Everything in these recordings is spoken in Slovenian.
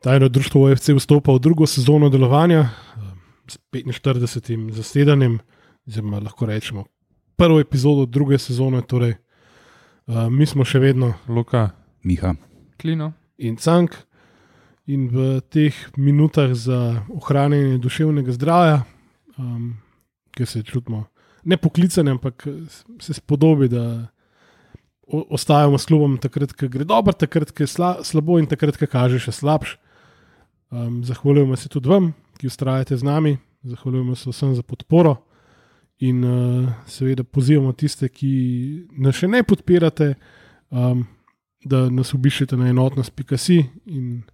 Tajno društvo OFC vstopa v drugo sezono delovanja s 45. zasedanjem, oziroma lahko rečemo prvo epizodo druge sezone, torej mi smo še vedno Luka, Miha, Klino in Cank in v teh minutah za ohranjanje duševnega zdravja, ki se čutimo nepoklicane, ampak se spodobi, da ostajamo s klubom takrat, ko gre dobro, takrat, ko je slabo in takrat, ko kaže še slabš. Zahvaljujemo se tudi vam, ki vztrajate z nami, zahvaljujemo se vsem za podporo in seveda pozivamo tiste, ki nas še ne podpirate, da nas obiščete na enotnost.si in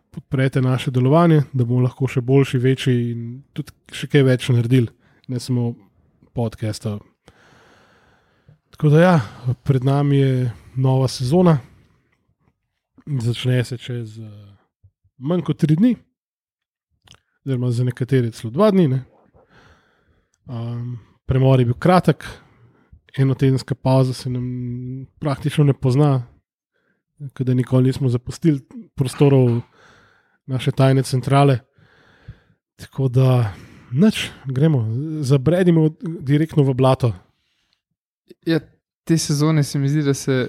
podprete naše delovanje, da bomo lahko še boljši, večji in tudi še kaj več naredili, ne samo podcasta. Tako da pred nami je nova sezona, začne se čez manj kot 3 dni, oziroma za nekatere celo 2 dni. Ne? Premor je bil kratek, enotedenska pauza se nam praktično ne pozna, kada nikoli nismo zapustili prostorov naše tajne centrale. Tako da gremo, zabredimo direktno v blato. Ja, te sezone se mi zdi, da se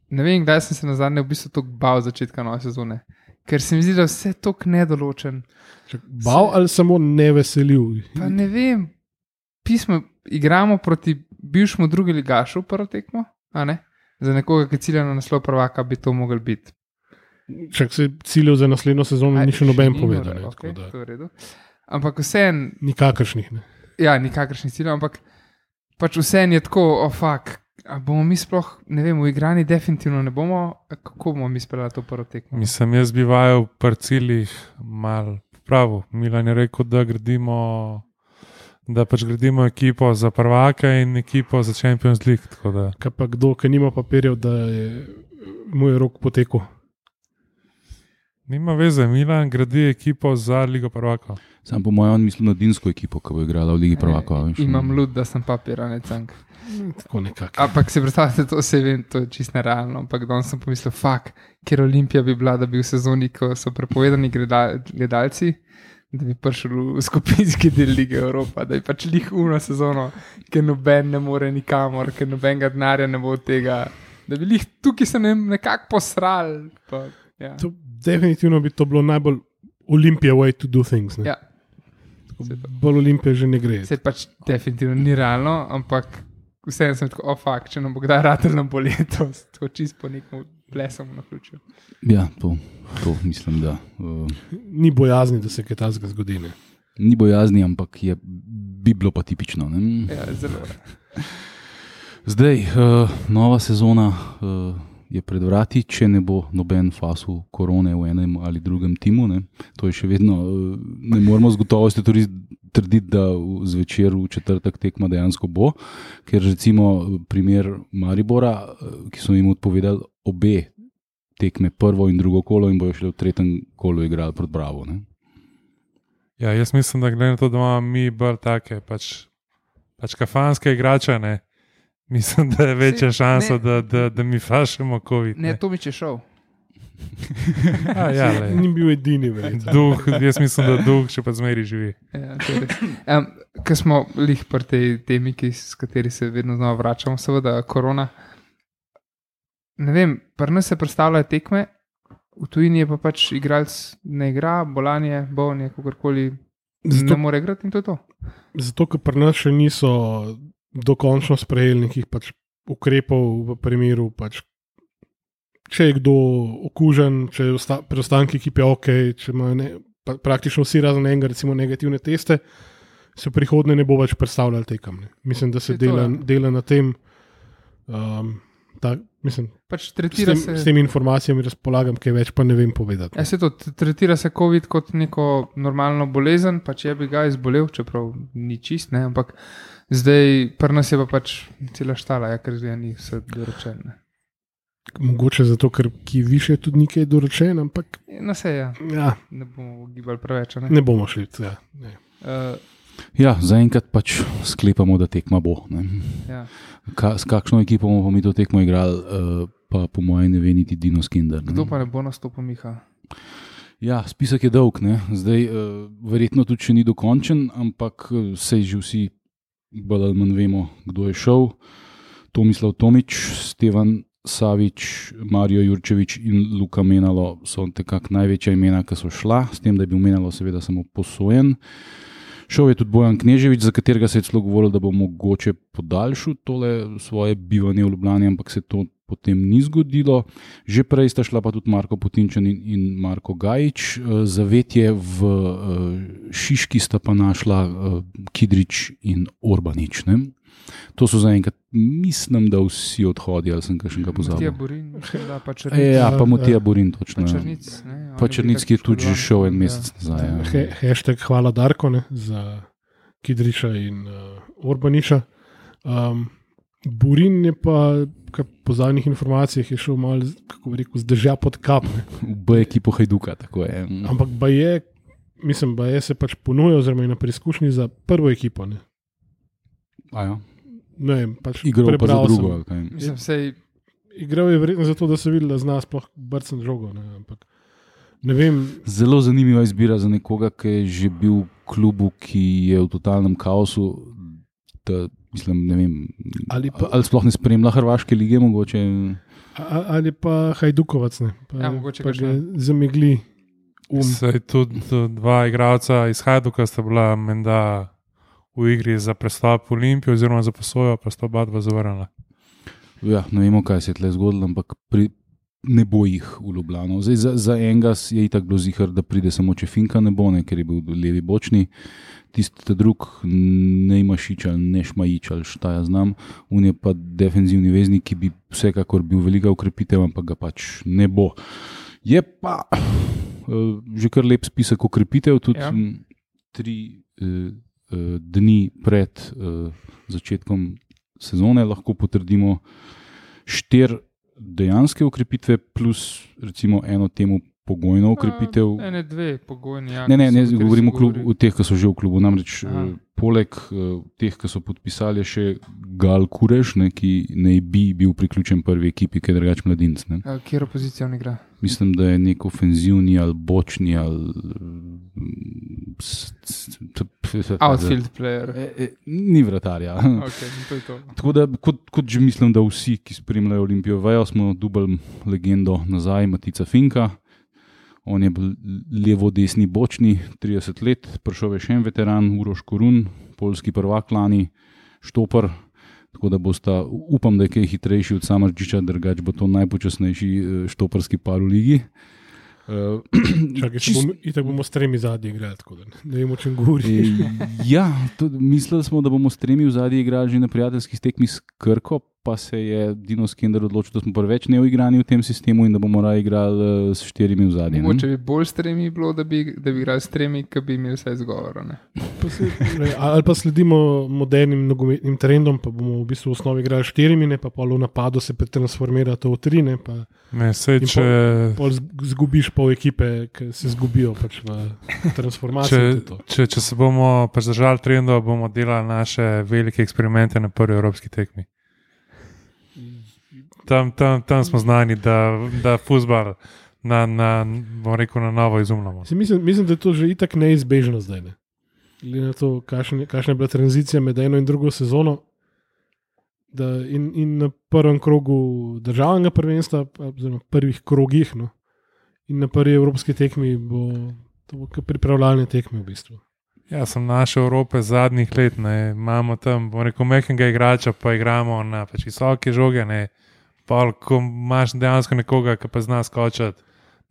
ne vem, kdaj sem se nazadnje v bistvu toliko bal začetka nove sezone. Ker se mi zdi, da vse toliko nedoločen. Bal ali samo neveseljiv? Pa ne vem. Pismo igramo proti bivšemu drugi ligašu prvo tekmo, a ne? Za nekoga, ki cilja na naslov prvaka, bi to mogel biti. Čak se ciljev za naslednjo sezono ni še noben povedal. Okay, to je v redu. Ampak vseeno... Nikakršnih, ne? Ja, nikakršnih ciljev, ampak pač vseeno je tako, a bomo mi sploh, ne vem, v igrani definitivno ne bomo, kako bomo mi speljali to prvo tekmo? Mislim, jaz bi vajal pri ciljih mal pravo. Milan je rekel, da gradimo ekipo za prvaka in ekipo za Champions League. Kaj pa kdo, ki nima papirjev, da je moj rok potekel? Nima veze, Milan gradi ekipo za Ligo prvakov. Sam po mojem mislim na dinsko ekipo, ki bo igrala v Ligi prvakov. Imam lud, da sem papir, a ne Cank. Tako nekako. Ampak si predstavljate, to se vem, to je čisto nerealno. Ampak danes sem pomislil, kjer Olimpija bi bila, da bi v sezoni, ko so prepovedani gledalci, da bi prišel v skupinski del Lige Evropa, da bi pač uno sezono, ker noben ne more nikamor, ker nobenega denarja ne bo od tega, da bi tukaj se nekako posrali. Ja. Definitivno bi to bilo najbolj Olimpija way to do things. Ne? Ja. Bolj Olimpija že ne gre. Se pač definitivno ni realno, ampak vseeno sem tako, če nam bo kdaj ratel nam bo letos, tako čisto po nekom plesom na ključu. Ja, to mislim, da... Ni bojazni, da se kaj takega zgodi. Ne? Ni bojazni, ampak bi bilo pa tipično. Ne? Ja, zelo. Zdaj, nova sezona je pred vrati, če ne bo noben fasul korone v enem ali drugem timu. Ne? To je še vedno, ne moramo z gotovostjo trditi, da zvečer v četrtek tekma dejansko bo, ker recimo primer Maribora, ki so jim odpovedali obe tekme, prvo in drugo kolo in bojo šli v tretjem kolu igrali proti Bravo. Ne? Ja, jaz mislim, da glede na to, da imamo mi bolj take pač kafanske igrače, ne? Mislim, da je večja šansa, da mi fašemo COVID. Ne, to mi če šel. Ni bil edini. Jaz mislim, da duh še pa zmeri živi. Ja, ko smo lih pri tej temi, s kateri se vedno znova vračamo, seveda korona. Ne vem, pri nas se predstavljajo tekme, v tujini je pa pač igralec ne igra, bolanje, bolnje, kakorkoli ne more igrati in to je to. Zato, ker pri nas še niso dokončno sprejeli nekih pač ukrepov v primeru, pač, če je kdo okužen, če je preostanki ekipe ok, če imajo praktično vsi razen enega recimo negativne teste, se v prihodnje ne bo več predstavljali tekem. Mislim, da se dela na tem. Pač s temi informacijami razpolagam, kaj več pa ne vem povedati. Ja, se to tretira se COVID kot neko normalno bolezen, pač je bi ga izbolel, čeprav ni čist, ne, ampak zdaj pri nas je pa pač cela štala, ker zdaj ni vse doročeno. Mogoče zato, ker ki više tudi nekaj doročen, ampak... No se ja. Ne bomo gibali preveč, ne? Ne bomo šli, ja. Ja, zaenkrat pač sklepamo, da tekma bo. Ja. S kakšno ekipo bomo mi to tekmo igrali, pa po mojem ne ve niti Dino Skinder. Kdo pa ne bo nastopil, Miha? Ja, spisek je dolg, ne? Zdaj verjetno tudi še ni dokončen, ampak sej že vsi bolj ali manj vemo, kdo je šel. Tomislav Tomič, Stevan Savič, Mario Jurčevič in Luka Menalo so nekako največja imena, ki so šla, s tem, da je bil Menalo seveda samo posojen. Šel je tudi Bojan Kneževič, za katerega se je celo govorilo, da bo mogoče podaljšal tole svoje bivanje v Ljubljani, ampak se to potem ni zgodilo. Že prej sta šla pa tudi Marko Putinčan in Marko Gajič. Zavetje v Šiški sta pa našla Kidrič in Orbanič. Ne? To so zaenkrat, mislim, da vsi odhodijo, ali sem kakšnega pozabil. Matija Borin, da pa Črnic. Ja, pa Matija Borin, točno. Pa Črnic, ne. Pa Črnic, ki je tudi že šel en mesec nazaj. Hashtag hvala Darko, ne, za Kidriča in Orbaniča. Borin je pa, po zadnjih informacijah, je šel malo, kako bi rekel, zdržja pod kap. V B ekipo Hajduka, tako je. Ampak Baje se pač ponuja, oziroma je na preizkušnji za prvo ekipo. Ne. Ja. Ne vem, pač igral pa za drugo. Mislim, sej... Igral je verjetno zato, da se vidi, da zna sploh brcen žogo. Ne, ampak ne vem. Zelo zanimiva izbira za nekoga, ki je že bil v klubu, ki je v totalnem kaosu. Mislim, ne vem, ali sploh ne spremlja hrvaške lige, mogoče. Ali pa Hajdukovac, ne. Ja, mogoče pa ga zamegli Saj tudi dva igralca iz Hajduka sta bila menda v igri za prestop v Olimpijo, oziroma za posojo, pa sta oba dva zavrnila. Ja, ne vemo, kaj se je tle zgodilo, ampak ne bo jih v Ljubljano. Zdaj, za enega je itak bilo zihar, da pride samo Čefinka, ne bo, ne, ker je bil levi bočni. Tisti drug, ne Mašič ali ne Šmajič ali šta ja znam, on je pa defenzivni veznik, ki bi vsekakor bil velika ukrepitev, ampak ga pač ne bo. Je pa že kar lep spisek ukrepitev, tudi 3 dni pred začetkom sezone lahko potrdimo 4 dejanske ukrepitve plus recimo eno temu pogojno ukrepitev. Ne, 2 pogojni. Ja, ne, govorimo o teh, ki so že v klubu. Namreč poleg teh, ki so podpisali, je še Gal Kureš, ne, ki ne bi bil priključen prvi ekipi, ki je drugač mladinc. Kjero pozicijo on igra? Mislim, da je nek ofenzivni ali bočni ali outfield player. Ni vratarja. Okay, to je to. Tako da, kot že mislim, da vsi, ki spremljajo Olimpijo, vejo, smo dubali legendo nazaj, Matica Finka. On je bil levo-desni bočni, 30 let, prišel je še en veteran, Uroš Korun, poljski prvak lani, štopar. Tako da bosta, upam, da je kaj hitrejši od Samardžiča, drugač bo to najpočasnejši štoparski par v ligi. Itak bomo s 3 zadnji igrali, tako da ne vemo, o čem govori. Ja, mislili smo, da bomo s 3 zadnji igrali že na prijateljskih tekmih s Krko, pa se je Dino Skender odločil, da smo preveč neuigrani v tem sistemu in da bomo raje igrali s 4 v zadnji. Mogoče bi bolj s 3 bilo, da bi igrali s 3, ki bi imeli vse izgovor. Ali pa sledimo modernim nogometnim trendom, pa bomo v bistvu v osnovi igrali 4, ne, pa pol v napadu se pretransformira to v 3, ne, pa pol zgubiš pol ekipe, ki se zgubijo pač v transformaciji. Če se bomo pač držali trendov, bomo delali naše velike eksperimente na prvi evropski tekmi. Tam smo znani, da fuzbal na novo izumljamo. Mislim, da je to že itak neizbežno zdaj. Ne? Glede na to, kakšna je bila tranzicija med eno in drugo sezono, da in na prvem krogu državnega prvenstva, oziroma prvih krogih, no, in na prvi evropski tekmi bo pripravljalne tekme v bistvu. Ja, sem našel Evrope zadnjih let, ne. Imamo tam, mehkega igrača, pa igramo na pač visoke žoge, ne. Pa, ko imaš dejansko nekoga, ki pa zna skočati,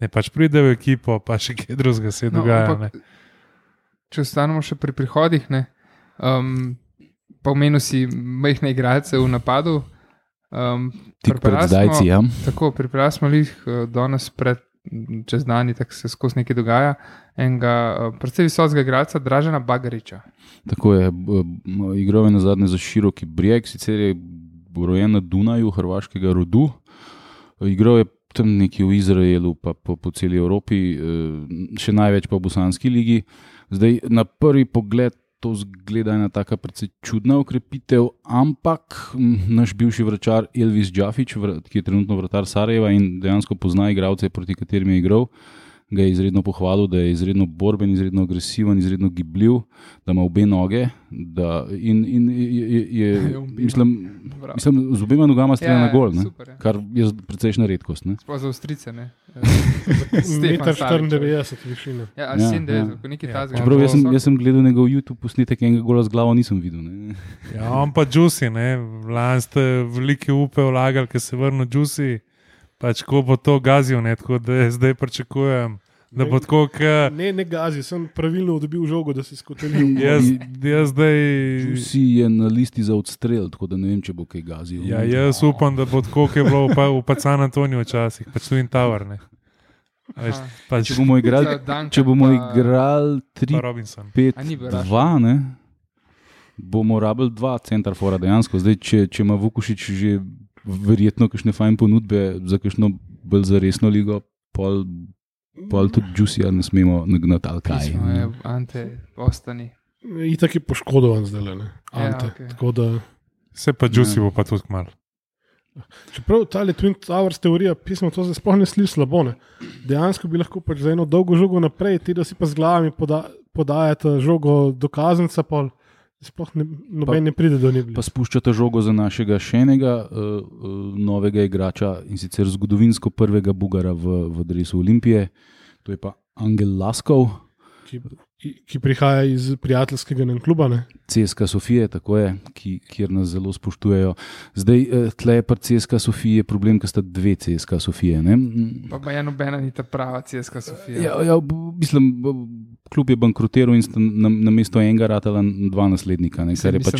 ne, pač pride v ekipo, pa še kaj drugega se dogaja. Ampak, če ostanemo še pri prihodih, ne, pa omenil si majhne igralce v napadu. Tik pred zdajci, ja. Tako, pripravili smo jih danes čez dani, tako se skozi nekaj dogaja, enega predvsej visokega igralca, Dražena Bagariča. Tako je, igral je nazadnje za Široki Brijeg, sicer je rojen na Dunaju, hrvaškega rodu. Igral je tam nekje v Izraelu, pa po celi Evropi, še največ pa v Bosanski ligi. Zdaj, na prvi pogled to zgleda ena taka precej čudna ukrepitev, ampak naš bivši vračar Elvis Džafić, ki je trenutno vratar Sarajeva in dejansko pozna igralce, proti katerim je igral, ga je izredno pohvalil, da je izredno borben, izredno agresiven, izredno gibljiv, da ima obe noge. Mislim, z obema nogama strelja na gol, kar je precejšnja redkost. Sploh za Avstrijce. 1,94 višine. Ja, 97, nekaj tazga. Čeprav jaz sem gledal njegov YouTube posnetek, enega gola z glavo nisem videl. Ne? Ja, on pa Juicy, lani ste velike upe vlagali, ker se vrnil Juicy, pač ko bo to gazil, tako da zdaj pričakujem, da bo tako, Ne gazi, sem pravilno dobil žogo, da si skotelil. Jaz zdaj... Juicy je na listi za odstrel, tako da ne vem, če bo kaj gazil. Ja, jaz upam, da bo tako, kot je bilo v San Antoniju včasih, pač Twin Tower, Če bomo igrali 3-5-2, bomo rabili 2 centrafora dejansko. Zdaj, če ima Vukušić že verjetno kakšne fajn ponudbe za kakšno bolj zaresno ligo, pol tudi Juicyja ne smemo nagnati ali kaj. Ante, ostani. Itak je poškodovan zdaj, Ante. Tako da... Se pa Juicy bo pa tudi kmalu. Čeprav ta Twin Towers teorija pisma, to se sploh ne sliši slabo. Dejansko bi lahko pač za eno dolgo žogo naprej, ti da si pa z glavami podajate žogo do kazenca, pa sploh noben ne pride do nje. Pa spuščate žogo za našega še enega novega igrača in sicer zgodovinsko prvega Bugara v dresu Olimpije, to je pa Angel Laskov. Ki prihaja iz prijateljskega kluba. CSKA Sofije, tako je, kjer nas zelo spoštujejo. Zdaj, tle je pri CSKA Sofije problem, ker sta 2 CSKA Sofije. Pa je nobena ni ta prava CSKA Sofija. Ja, mislim, klub je bankrotiral in sta na mesto enega ratala 2 naslednika, kar je pač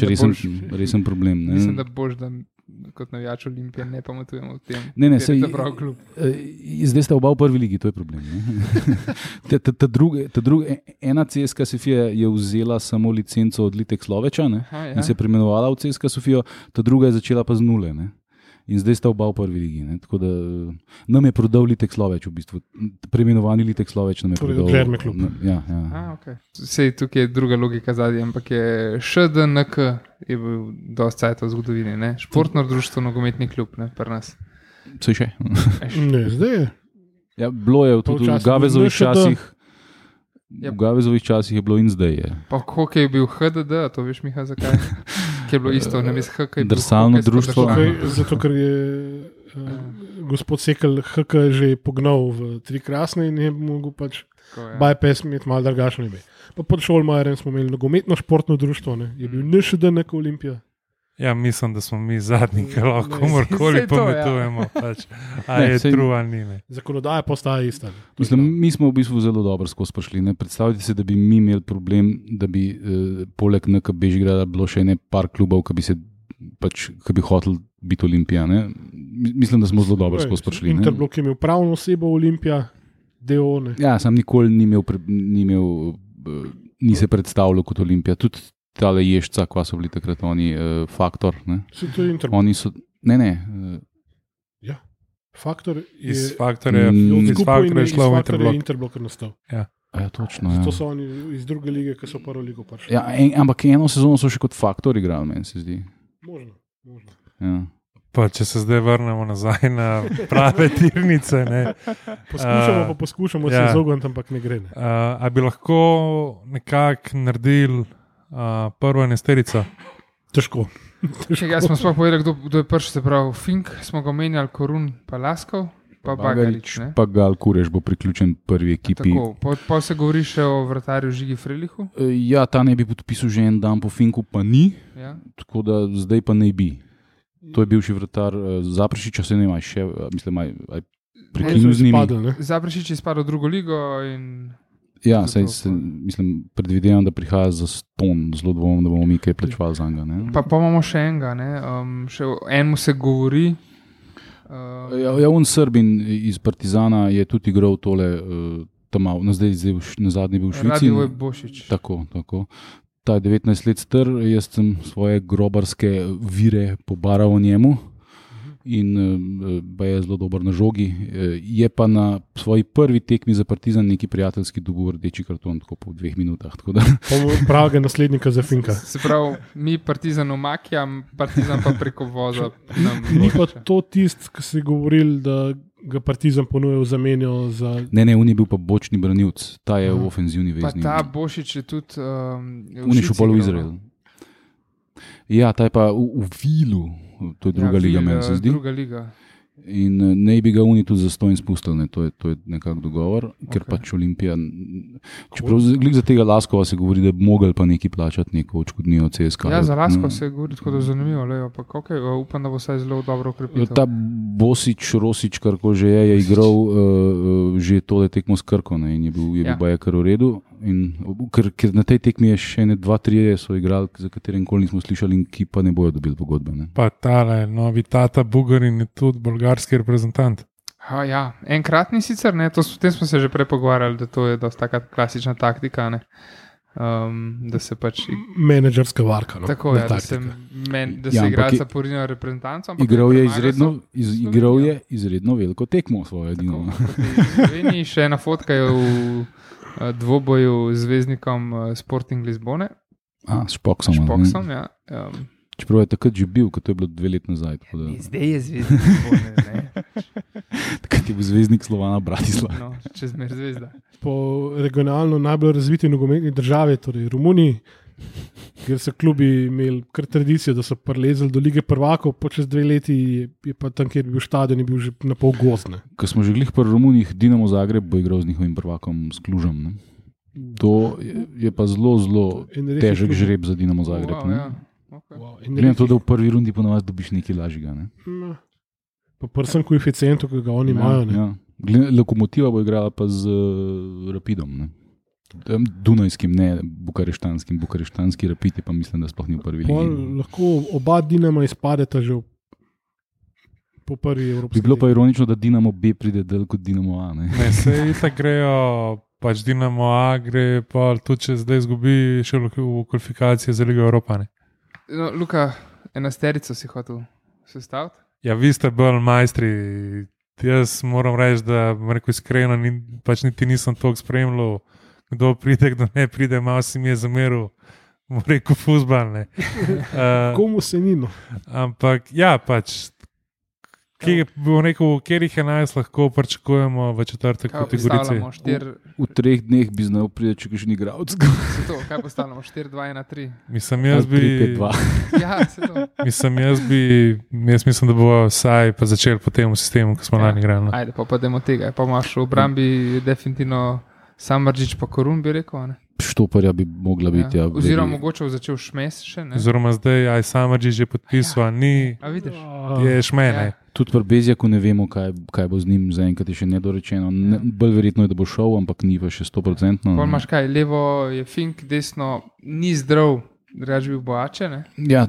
resen problem. Mislim, da boš, da kot navijač Olimpije ne pametujemo v tem. Ne, je ta prav klub. Zdaj sta oba v prvi ligi, to je problem. Ena CSKA Sofija je vzela samo licenco od Litek Sloveča in se preimenovala v CSKA Sofijo, ta druga je začela pa z 0. In zdaj sta oba v prvi ligi. Tako da nam je prodal Litek Sloveč, v bistvu. Preimenovani Litek Sloveč nam je prodal. Gledme klub. Ja. Okay. Sej tukaj je druga logika zadnja, ampak je ŠDNK je bil dosti cajt v zgodovini. Športno društvo, nogometni klub, pri nas. Sej še? Ne, zdaj je. Ja, bilo je tudi v Gavezovih časih. V Gavezovih časih je bilo in zdaj je. Pa hokej je bil HDD, to veš, Miha, zakaj? Ker je bilo isto, ne veš, HK je bil drsalno društvo. Zato, ker je gospod Sekel HK že pognal v 3 krasne in je mogel pač bypass imeti malo drugačno ime. Pa pod Šolmajerem smo imeli nogometno športno društvo, je bil NŠDNK Olimpija. Ja, mislim, da smo mi zadnji, ki lahko komorkoli pametujemo. Pač. Je true ali ni. Zakonodaja postaja ista. Mislim, mi smo v bistvu zelo dobro skozi prišli. Predstavljajte si, da bi mi imeli problem, da bi poleg NK Bežigrada bilo še par klubov, ki bi hotel biti Olimpija. Mislim, da smo zelo dobro skozi prišli. Interblok je imel pravno osebo Olimpija, DO. Ja, sam nikoli ni se predstavljal kot Olimpija. Tudi tale Ješca, kva so bili takrat oni, Faktor. Se to je Interblok? Oni so, ne. Ja, Faktor je... Iz Faktorja je šlo v Interblok. Interblok je nastal. Ja. Ja, točno. To so oni iz druge lige, ki so prvo ligo prišli. Ja, ampak eno sezono so še kot Faktor igrali, meni se zdi. Možno. Ja. Pa če se zdaj vrnemo nazaj na prave tirnice. Poskušamo se izogniti, ampak ne gre. A bi lahko nekako naredili prvo enesterico? Težko. Jaz smo sploh povedali, kdo je prvi, se pravi Fink, smo ga omenjali, Korun, pa Laskov, pa Bagarič. Pa Gal Kureš bo priključen prvi ekipi. Pa se govori še o vratarju Žigi Frelihu? Ja, ta ne bi podpisal že en dan po Finku, pa ni. Ja. Tako da zdaj pa ne bi. To je bivši vratar Zaprešiča, se ne ima še, mislim, prekinul z njimi. Zaprešič je spadal v drugo ligo in... Ja, mislim, predvidevam, da prihaja za ston, zelo dvomim, da bomo mi kaj plačevali za njega. Pa imamo še enega, še enemu se govori. Ja, on Srbin iz Partizana je tudi igral tole, zdaj na zadnji bil v Švici. Radio Bošič. Tako. Ta je 19 let star, jaz sem svoje grobarske vire pobaral o njemu in je zelo dober na žogi. Je pa na svoji prvi tekmi za Partizan neki prijateljski dobil rdeči karton, tako po 2 minutah. Pravega naslednika za Finka. Se pravi, mi Partizan omakjam, Partizan pa preko voza. Ni pa to tist, ki si govoril, da ga Partizan ponujal zamenjo za. Ne, on je bil pa bočni branilec, ta je v ofenzivni Pa vezni. ta Bošič je tudi Unišel pol v Izrael. Ja, ta je pa v Vilu, to je druga liga, meni se zdi. Druga liga. In ne bi ga oni tudi zastonj spustili, ne? To je nekako dogovor, ker pač Olimpija. Čeprav za tega Laskova se govori, da bi mogli pa neki plačati neko odškodnino CSKA. Ja, za Lasko se govori tako, da je zanimivo, ampak okay, upam, da bo vsaj zelo dobro ukrepil. Ta Bosič, Rosič, kar ko že je igral že tole tekmo s Krko, ne? In je bil baje kar v redu. In, ker na tej tekmi je še 2-3 so igrali, za katerim koli nismo slišali in ki pa ne bojo dobili pogodbe. Ne? Pa tale novi tata Bugarin je tudi bolgarski reprezentant. Ja, enkratni sicer, ne, o tem smo se že prej pogovarjali, da to je dosta taka klasična taktika, ne. Da se pač menedžerska varka. No, tako je, da se igralca porina reprezentanco. Igral je izredno veliko tekmo svojo edino. Sloveniji še ena fotka je v dvoboju z zvezdnikom Sporting Lizbone. S Špoksom. Ja. Čeprav je takrat že bil, kot je bilo 2 leta nazaj. Zdaj je zvezdnik Lizbone. Takrat je bil zvezdnik Slovana Bratislava. No, čezmer zvezda. Po regionalno najbolj razviti nogometni državi, torej Romuniji, kjer so klubi imeli kar tradicijo, da so prelezali do lige prvakov, po čez 2 leti je pa tam, kjer je bil stadion, je bil že na pol gozdne. Ko smo že glih pri Romunijih, Dinamo Zagreb bo igral z njihovim prvakom, s Klužem. Ne? To je pa zelo težek žreb za Dinamo Zagreb. Glede na to, da v prvi rundi ponovadi dobiš nekaj lažjega. Ne? Pa prvsem koeficientu, ki ga oni imajo. Ja. Lokomotiva bo igrala pa z Rapidom. Ne? Dunajskim, ne bukareštanskim. Bukareštanski Rapid je pa mislim, da sploh ni v prvi ligi. Lahko oba Dinama izpadeta že po prvi evropski. Bi bilo pa ironično, da Dinamo B pride del kot Dinamo A. Ne, se itak grejo, pač Dinamo A gre pa tudi, če zdaj izgubi še v kvalifikacije za Ligo Evropa. Ne? No, Luka, 11 si hotel sestaviti? Ja, vi ste bolj majstri. Jaz moram reči, da iskreno pač niti nisem toliko spremljal, kdo pride, kdo ne pride, malo si mi je zameril, rekel fuzbal. Komu se nino? Ampak ja, pač, kjer jih 11 lahko pričakujemo v četrtek kategorici? V 3 dneh bi znal priti, če kakšen igralec. Kaj postavljamo? 4-2-1-3? Mislim, jaz bi... 5-2. Ja, se to. Jaz mislim, da bo vsaj pa začel po tem sistemu, ko smo lani igrali. Ajde, pa demo tega. Pa imaš v obrambi definitivno Samardžić pa Korun, bi rekel, ne? Štoparja bi mogla biti. Ja, oziroma mogoče začel Šmes še, ne? Oziroma zdaj Samardžić je podpisal, ni... A vidiš? Je Šmene. Ja. Tudi pri Bezjaku ne vemo, kaj bo z njim, zaenkrat je še nedorečeno. Bolj verjetno je, da bo šel, ampak ni pa še 100%. Pol imaš kaj, levo je Fink, desno ni zdrav, drugač bi bil Boače, ne? Ja,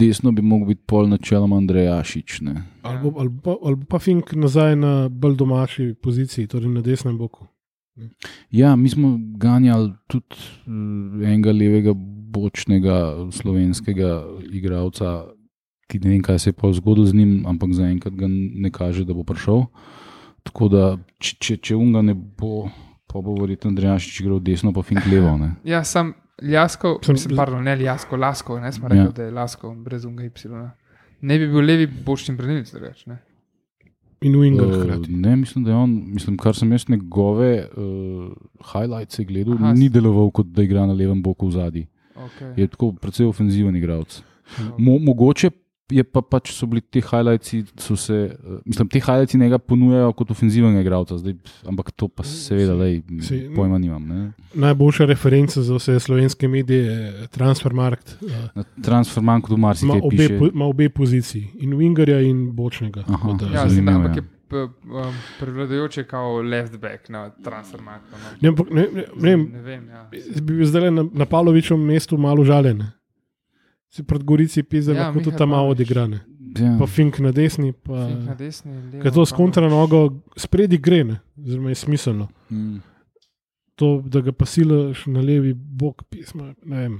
desno bi mogel biti pol načeloma Andrejašič, ne? Ali pa Fink nazaj na bolj domači poziciji, torej na desnem boku. Ja, mi smo ganjali tudi enega levega bočnega slovenskega igralca, ki ne vem, kaj se je pa zgodilo z njim, ampak zaenkrat ga ne kaže, da bo prišel. Tako da, če unga ne bo, pa bo verjetno Andrejašič igral desno, pa Fink levo. Ne? Ja, sam Ljasko, Lasko, ne smo rekli, da je Lasko, brez unga Y. Ne bi bil levi bočni branilec, drugač, ne? In Winger hkrati. Ne, mislim, da je on, kar sem jaz njegove highlights gledal, ni deloval, kot da igra na levem boku v zadnji. Okay. Je tako precej ofenziven igralec. Mogoče je pa pač so bili te highlightsi, te highlightsi njega ponujajo kot ofenzivnega igralca, ampak to pa seveda pojma nimam. Ne? Najboljša referenca za vse slovenske medije je Transfermarkt. Transfermarkt v marsikaj piše. Ima obe poziciji, in Wingerja in bočnega. Aha, ja, ampak je prevladujoče kao left back na Transfermarktu. Ne vem, ja. Bi zdaj na Pavlovičem mestu malo žaljen. Si pred Gorici pizza, lahko tudi tam malo odigrane. Ja. Pa Fink na desni. Ker to s kontra nogo spredi gre, ne? Oziroma je smiselno. To, da ga pa silaš na levi bok pisma, ne vem.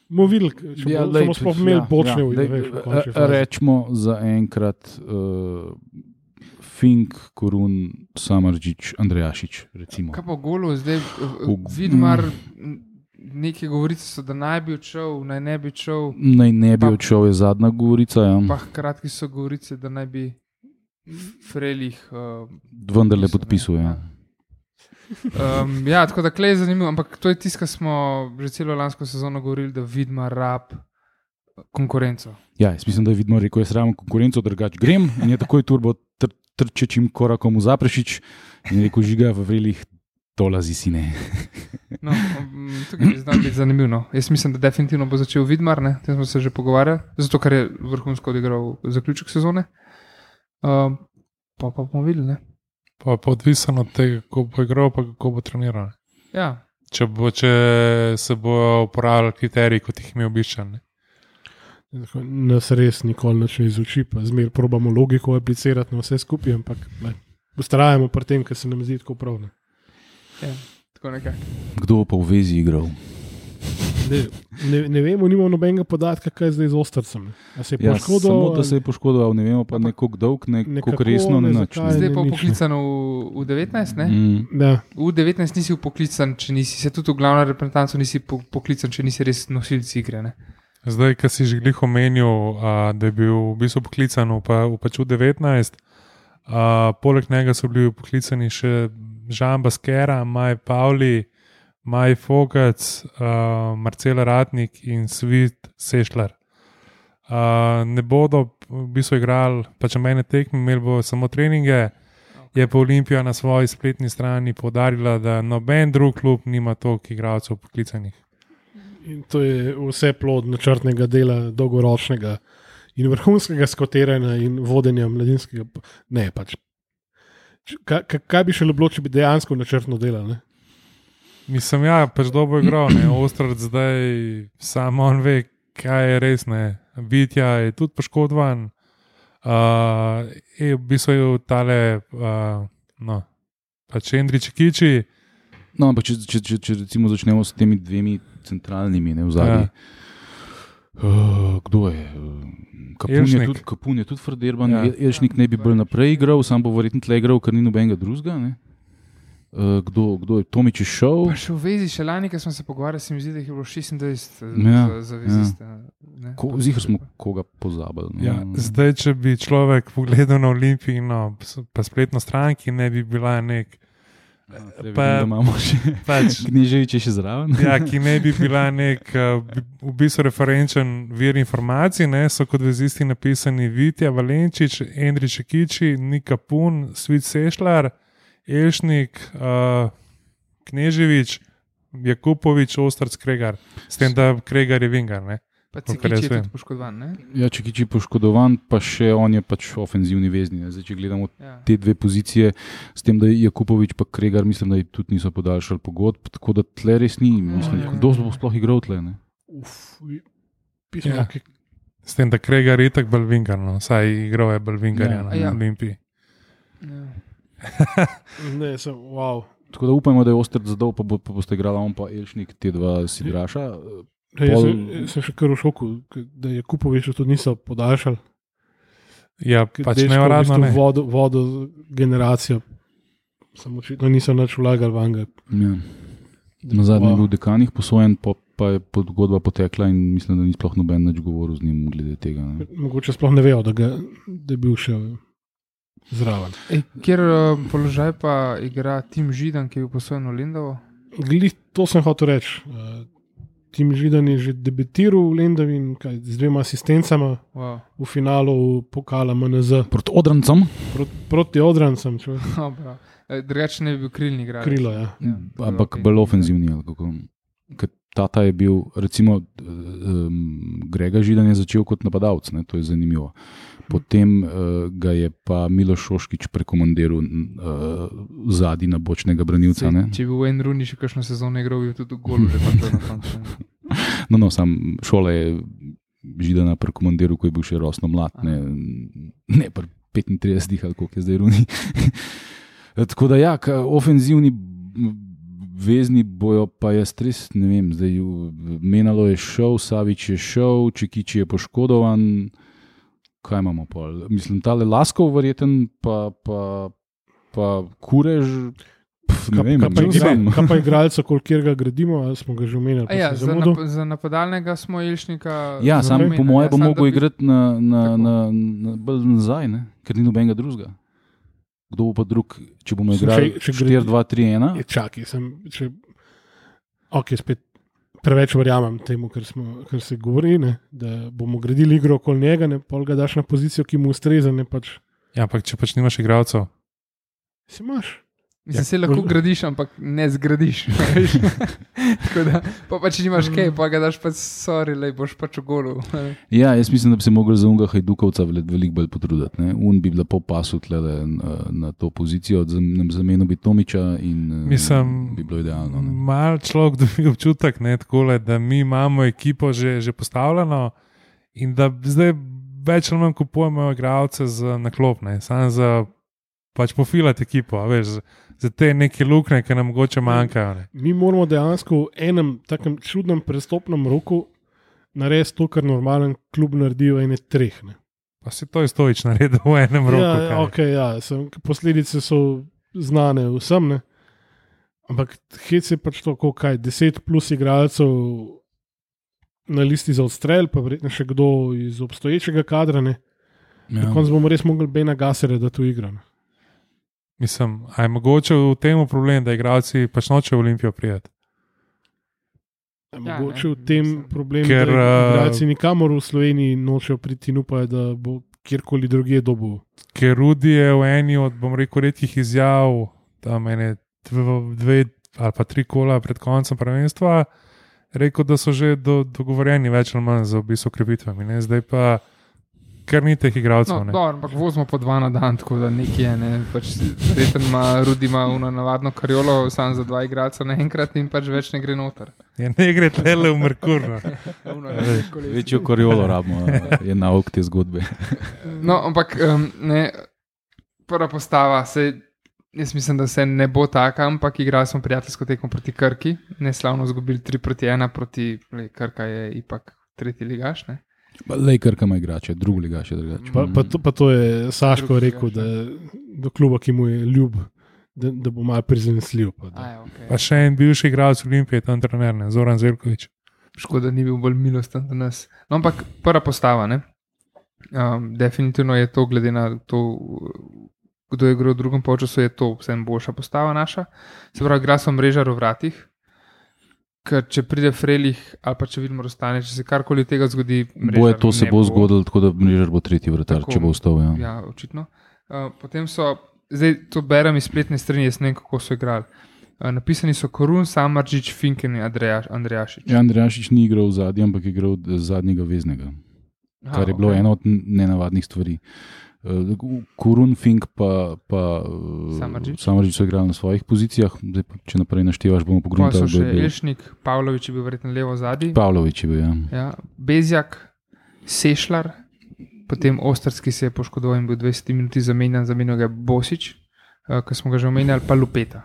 Bomo videli, če bomo sploh imeli bočne. Rečemo za enkrat Fink, Korun, Samardžić, Andrejašič, recimo. Kaj pa golo zdaj? Vidmar... Neke govorice so, da naj bi odšel, naj ne bi odšel. Naj ne bi odšel, je zadnja govorica. Ja. Pa hkrati so govorice, da naj bi Frelih. Vendarle podpisuje. Ja, tako da Klej je zanimiv, ampak to je tisto, kar smo že celo lansko sezono govorili, da vidimo rab konkurenco. Ja, jaz mislim, da je vidno rekel, jaz rabim konkurenco, drugače grem in je takoj turbo trčečim korakom v Zaprešič in rekel, žiga v vrelih, dolazi si ne. No, tukaj bi znal biti zanimivo. No. Jaz mislim, da definitivno bo začel Vidmar, ne? Tem smo se že pogovarjali, zato ker je vrhunsko odigral zaključek sezone. Pa bomo videli, ne? Pa odvisno od tega, kako bo igral, pa kako bo treniral. Ja. Če se bo uporabljal kriteriji, kot jih mi običajno. Nas res nikoli ne izuči, pa zmer probamo logiko aplicirati na vse skupaj, ampak ustrajamo pri tem, ker se nam zdi tako prav. Ja, tako nekaj. Kdo bo pa v vezi igral? Ne vemo, nimamo nobenega podatka, kaj je zdaj z Ostrcem. Se je poškodoval? Samo, da se je poškodoval, ne vemo pa nekako dolg, nekako resno ne nič. Zdaj pa poklican v 19, ne? Da. V 19 nisi poklican, če nisi, se tudi v glavno reprezentanco nisi poklican, če nisi res nosilci igre, ne? Zdaj, ko si že glih omenil, da je bil v bistvu poklican v 19, poleg njega so bili poklicani še Žan Baskera, Maj Pavli, Maj Fogac, Marcela Ratnik in Svit Sešlar. Ne bodo v bistvu igrali pač mene tekme, imeli bo samo treninge. Je pa Olimpija na svoji spletni strani poudarila, da noben drug klub nima toliko igralcev poklicanih. In to je vse plod načrtnega dela, dolgoročnega in vrhunskega skotiranja in vodenja mladinskega. Ne, pač. Kaj bi še bilo, če bi dejansko načrtno delal? Ne? Mislim, ja, pač dobro igral, ne. Ostrac zdaj samo on ve, kaj je res, ne. Vitja je tudi poškodovan. V bistvu je tale, pač Endri Čekiči. No, ampak če recimo začnemo s temi dvemi centralnimi, ne, v zadnji. Kdo je? Kapun je tudi Frderban, ja. Elšnik ne bi bolj naprej igral, sam bo verjetno tle igral, ker ni nobenega drugega, ne. Kdo je? Tomič je šel. Pa še v vezi, še lani, ko smo se pogovarjali, se mi zdi, da je bilo 26 za veziste. Ja. Zihar smo koga pozabili. Ja, zdaj, če bi človek pogledal na Olimpijino, pa spletno stran, ki ne bi bila nek da imamo še Knežević še zraven. Ja, ki ne bi bila nek v bistvu referenčen vir informacij, ne, so kot vezisti napisani Vitja, Valenčič, Endri Čekiči, Nika Pun, Svit Sešlar, Elšnik, Knežević, Jakupović, Ostrac, Kregar. S tem, da Kregar je Vingar, ne. Pa Čekič je tudi poškodovan, ne? Ja, Čekič je poškodovan, pa še on je pač ofenzivni vezni. Ne? Zdaj, če gledamo te dve pozicije, s tem, da je Jakupović pa Kregar, mislim, da tudi niso podaljšali pogodb, tako da tle res ni. Mislim, kdo bo sploh igral tle, ne? S tem, da Kregar je itak bolj Vingar, no. Saj igral je bolj Vingarja na Olimpiji. Ne, wow. Tako da upajmo, da je Ostrac zadal, pa boste igrala on pa Elšnik, te dva sidraša. Sem še kar v šoku, da je Jakupović tudi niso podaljšali. Ja, pač neuradno ne. Vodo generacijo, samo očitno niso nič vlagali vanga. Ja. Na zadnji je bil dekanih posojen, pa je pogodba potekla in mislim, da ni sploh noben nič govoril z njim glede tega. Ne. Mogoče sploh ne vejo, da je bil še zraven. Kjer položaj pa igra Tim Židan, ki je bil posojen v Lendovo? Glih, to sem hotel reči. Tim Židan je že debitiral v Lendavi z 2 asistencama v finalu pokala MNZ. Proti Odrancem? Proti Odrancem. Drugače ne bi bil krilni igralec. Krilo, ja. Ampak bolj ofenzivni. Tata je bil, recimo, Grega Židan je začel kot napadalec, ne, to je zanimivo. Potem ga je pa Miloš Šoškič prekomandiral zadnji na bočnega branilca. Če bi v en runi še kakšno sezono igral, bi tudi v golu že pa to na koncu. No, sam Šola je Židana prekomandiral, ko je bil še rosno mlad, ne pri 35 ali koliko je zdaj runi. Tako da ja, ofenzivni vezni bojo, pa jaz res ne vem, zdaj Menalo je šel, Savić je šel, Čekič je poškodovan. Kaj imamo pol? Mislim, tale Laskov verjeten, pa Kurež. Ne vem, kaj pa igralca, kolikor ga gradimo, ali smo ga že omenili. Za napadalnega smo Ilšnika. Ja, sam po moje bo mogel igrati bolj nazaj, ne? Ker ni nobenega drugega. Kdo bo pa drug, če bomo igrali 4-2-3-1? Čakaj, spet preveč verjamem temu, kar se govori, ne? Da bomo gradili igro okoli njega, ne? Pol ga daš na pozicijo, ki mu ustreza. Ja, ampak če pač nimaš igralcev. Si imaš. Mislim, se lahko gradiš, ampak ne zgradiš. Tako da, pa če nimaš kaj, pa ga daš pač sorry, lej, boš pač v golu. Ja, jaz mislim, da bi se mogli za unga Hajdukovca veliko bolj potruditi. Ne? Un bi bila po pasu tlele na to pozicijo, zamenil bi Tomiča in bi bilo idealno. Mal človek dobi občutek, ne, takole, da mi imamo ekipo že postavljeno in da zdaj več ali manj kupujemo igralce na klop, ne, samo za pač pofilati ekipo, veš, za te neke luknje, ki nam mogoče manjkajo. Ne. Mi moramo dejansko v enem takem čudnem prestopnem roku narediti to, kar normalen klub naredi v ene 3. Ne. Pa si to Stojić naredil v enem roku. Posledice so znane vsem, ne. Ampak hec je pač to, kaj, 10 plus igralcev na listi za odstrel, pa verjetno še kdo iz obstoječega kadra. Ne. Ja. Na koncu bomo res mogli Bena Gasera, da tu igra. Ne. Mislim, a je mogoče v tem problem, da igralci pač nočejo v Olimpijo prijeti? Mogoče v tem problem, da igralci nikamor v Sloveniji nočejo priti in upajo, da bo kjerkoli drugje dobil. Ker Rudi je v eni od, bom rekel, redkih izjav, tam ene 2 ali pa 3 kola pred koncem prvenstva, rekel, da so že dogovorjeni več ali manj za obisk okrepitvami. Zdaj pa ker ni teh igralcev. No, ampak vozimo po 2 na dan, tako da nekje je. Ne, pač Rudi ima navadno kariolo, samo za 2 igralca naenkrat in pač več ne gre noter. Ja, ne gre tlele v Merkur. Večjo kariolo rabimo, je nauk te zgodbe. No, ampak prva postava, jaz mislim, da se ne bo taka, ampak igrali smo prijateljsko tekmo proti Krki, neslavno izgubili 3-1 proti Krka je ipak 3. ligaš, ne? Lej, Krka ima igrače, drugi ligaš je drugače. Pa to je Saško rekel, da do kluba, ki mu je ljub, da bo malo prizanesljiv. Pa še en bivši igralec Olimpije, tam trener, ne, Zoran Zeljković. Škoda, ni bil bolj milosten do nas. No, ampak prva postava, ne? Definitivno je to, glede na to, kdo je igral v drugem polčasu, je to vsem boljša postava naša. Se pravi, igra so Mrežar v vratih, ker če pride Frelih ali pa če vidimo Rostane, če se karkoli tega zgodi, Mrežar to se bo zgodilo, tako da Mrežar bo 3. vratar, če bo ostal. Ja, očitno. Potem so, zdaj to berem iz spletne strani, jaz ne vem, kako so igrali. Napisani so Korun, Samardžić, Finken in Andrejašič. Ja, Andrejašič ni igral v zadnji, ampak je igral zadnjega veznega, kar je bilo ena od nenavadnih stvari. Korun, Fink pa Samardžić so igrali na svojih pozicijah. Zdaj, če naprej naštevaš, bomo pogledali. Pa so še Elšnik, Pavlović je bil verjetno levo zadnji. Pavlović je bil, ja. Bezjak, Sešlar, potem Ostrski se je poškodoval in bil 20 minuti zamenjal ga Bosić, ki smo ga že omenjali, pa Lupeta.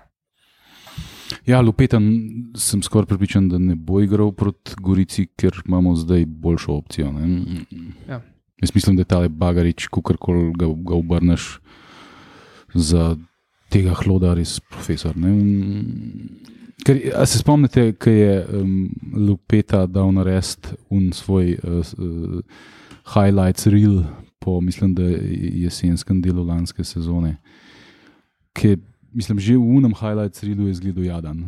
Ja, Lupeta sem skoraj pripričan, da ne bo igral proti Gorici, ker imamo zdaj boljšo opcijo. Ne? Ja. Jaz mislim, da je tale Bagarič, kakorkoli ga obrneš za tega hloda, res profesor. Ker, a se spomnite, ko je Lupeta dal narediti svoj highlights reel po, mislim, da jesenskem delu lanske sezone, ki je, mislim, že v unem highlights reelu je izgledal jadan.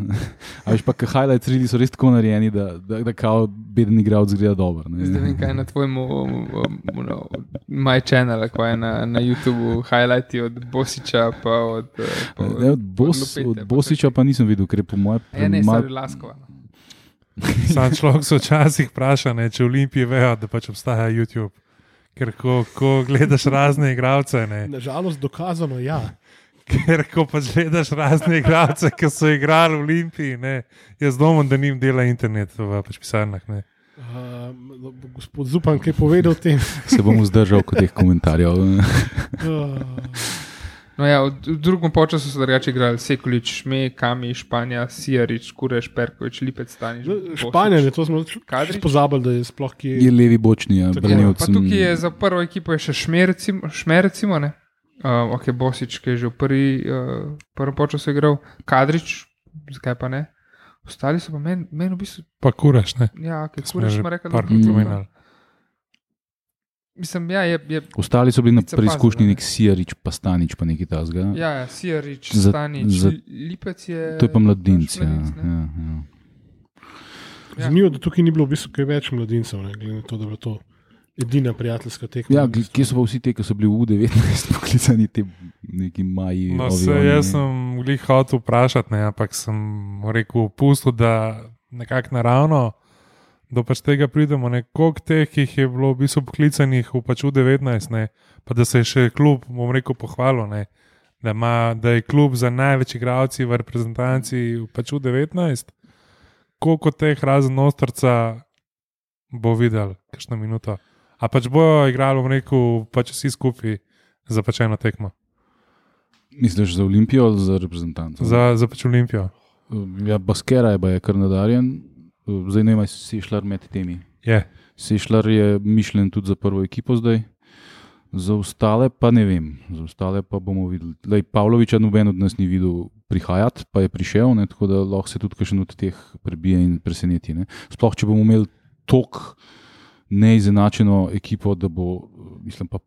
A veš pa, ker highlights reeli so res tako narejeni, da kao beden igralec zgleda dobro. Zdaj vem, kaj je na tvojemu My Channel, kaj je na YouTubeu highlighti od Bosića pa od Bosića pa nisem videl, ker je po moje... Ne, stari Laskova. Sam človek se včasih vpraša, če v Olimpiji vejo, da pač obstaja YouTube. Ker ko gledaš razne igralce... Nažalost dokazano, ja. Ker ko pač gledaš razne igralce, ki so igrali v Olimpiji, jaz domov, da njim dela internet v pač pisarnah. Gospod Zupan, kaj je povedal o tem? Se bom vzdržal kot teh komentarjev. No ja, v drugem polčasu so drugače igrali Sekulić, Šme, Kami, Španja, Sijarič, Kureš, Perković, Lipec, Stanič. Španja, to smo pozabili, da je sploh ki... Je levi bočni, ja. Pa tukaj je za prvo ekipo je še Šme, recimo, ne? Ok, Bosič, ki je že v prvem polčasu igral, Kadrič, zakaj pa ne? Ostali so pa meni v bistvu. Pa kuraš, ne? Ja, ok, Smo Kuraš že ima rekel, parkrat omenjali. Mislim, ja, je Ostali so bili na Pica preizkušnji pazila, nek Sijarič, pa Stanič, pa nekaj tasga. ja, Sijarič, Za- Stanič, za- Lipec je. To je pa mladinc. Ja, mladinec, ne? ja. Ja. Zanimivo, da tukaj ni bilo v bistvu kaj več mladincev, ne, glede na to, da je bila to edina prijateljska tekma. Ja, kje so pa vsi te, ki so bili v U19 poklicani, ti neki maji? No, ovi, se, oni, jaz sem glih hotel vprašati, ne, ampak sem mu rekel, pustil, da nekako naravno, da pač tega pridemo. Koliko teh jih je bilo v bistvu poklicanih v pač U19, ne, pa da se je še klub, bom rekel, pohvalil, ne, da je klub za največ igralci v reprezentanci v pač U19. Koliko teh razen Ostrca bo videl, kakšno minuto. A pač bojo igrali, bom rekel, pač vsi skupaj za pač eno tekmo. Misliš za Olimpijo ali za reprezentanco? Za pač Olimpijo. Ja, Baskera je kar nadarjen. Zdaj ne vem, ali si Sešljar med temi. Je. Sešljar je mišljen tudi za prvo ekipo zdaj. Za ostale pa ne vem. Za ostale pa bomo videli. Lej, Pavloviča noben od nas ni videl prihajati, pa je prišel, ne, tako da lahko se tudi kakšen od teh prebije in preseneti. Ne. Sploh, če bomo imeli tok neizenačeno ekipo, da bo, mislim, pa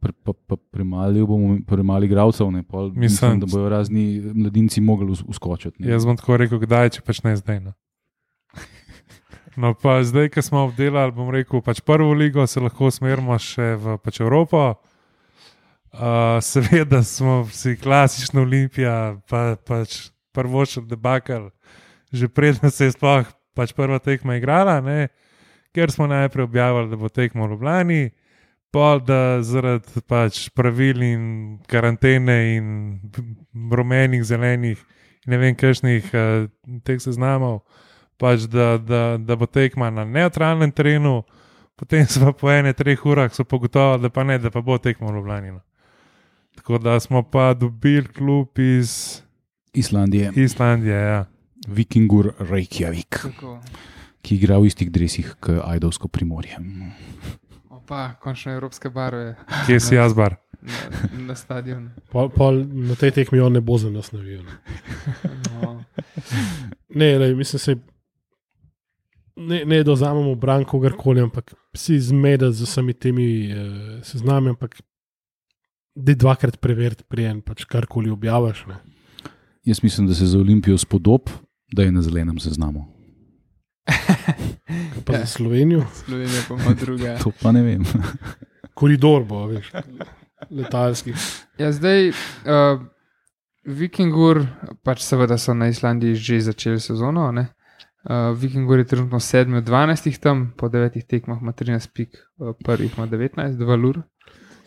premali igralcev, ne, pa mislim, da bojo razni mladinci mogli uskočiti. Jaz bom tako rekel, kdaj, če pač ne zdaj. No, pa zdaj, ko smo obdelali, bom rekel, pač prvo ligo, se lahko usmerimo še v pač Evropo. Seveda smo vsi klasična Olimpija, pač prvošel debakal, že predno se je sploh pač prva tekma igrala, ne? Ker smo najprej objavili, da bo tekmo v Ljubljani, pol da zaradi pač pravil in karantene in rumenih, zelenih in ne vem kakšnih teh seznamov, pač da bo tekma na nevtralnem terenu, potem smo po 1-3 urah so pogotovili, da pa ne, da pa bo tekmo v Ljubljani. Tako da smo pa dobili klub iz Islandije, ja. Vikingur Reykjavik, Tako. ki igra v istih dresih kot Ajdovsko Primorje. Opa, končno evropske barve Kje si jaz bar? na stadionu. Na tej tekmi on ne bo za nas navijal. No. Ne, mislim se. Ne da vzamemo bran kogarkoli, ampak si zmeda z vsemi temi seznami, ampak da dvakrat preveriti, prijem pač karkoli objaviš. Ne. Jaz mislim, da se za Olimpijo spodob, da je na zelenem seznamu. Pa za Slovenijo. Slovenija pa ima druga. To pa ne vem. Koridor bo, veš, letalski. Ja, zdaj, Vikingur, pač seveda so na Islandiji že začeli sezono, ne? Vikingur je trenutno 7 od 12 tam, po 9 tekmah ima 13 pik, prvih ima 19, 2 lur.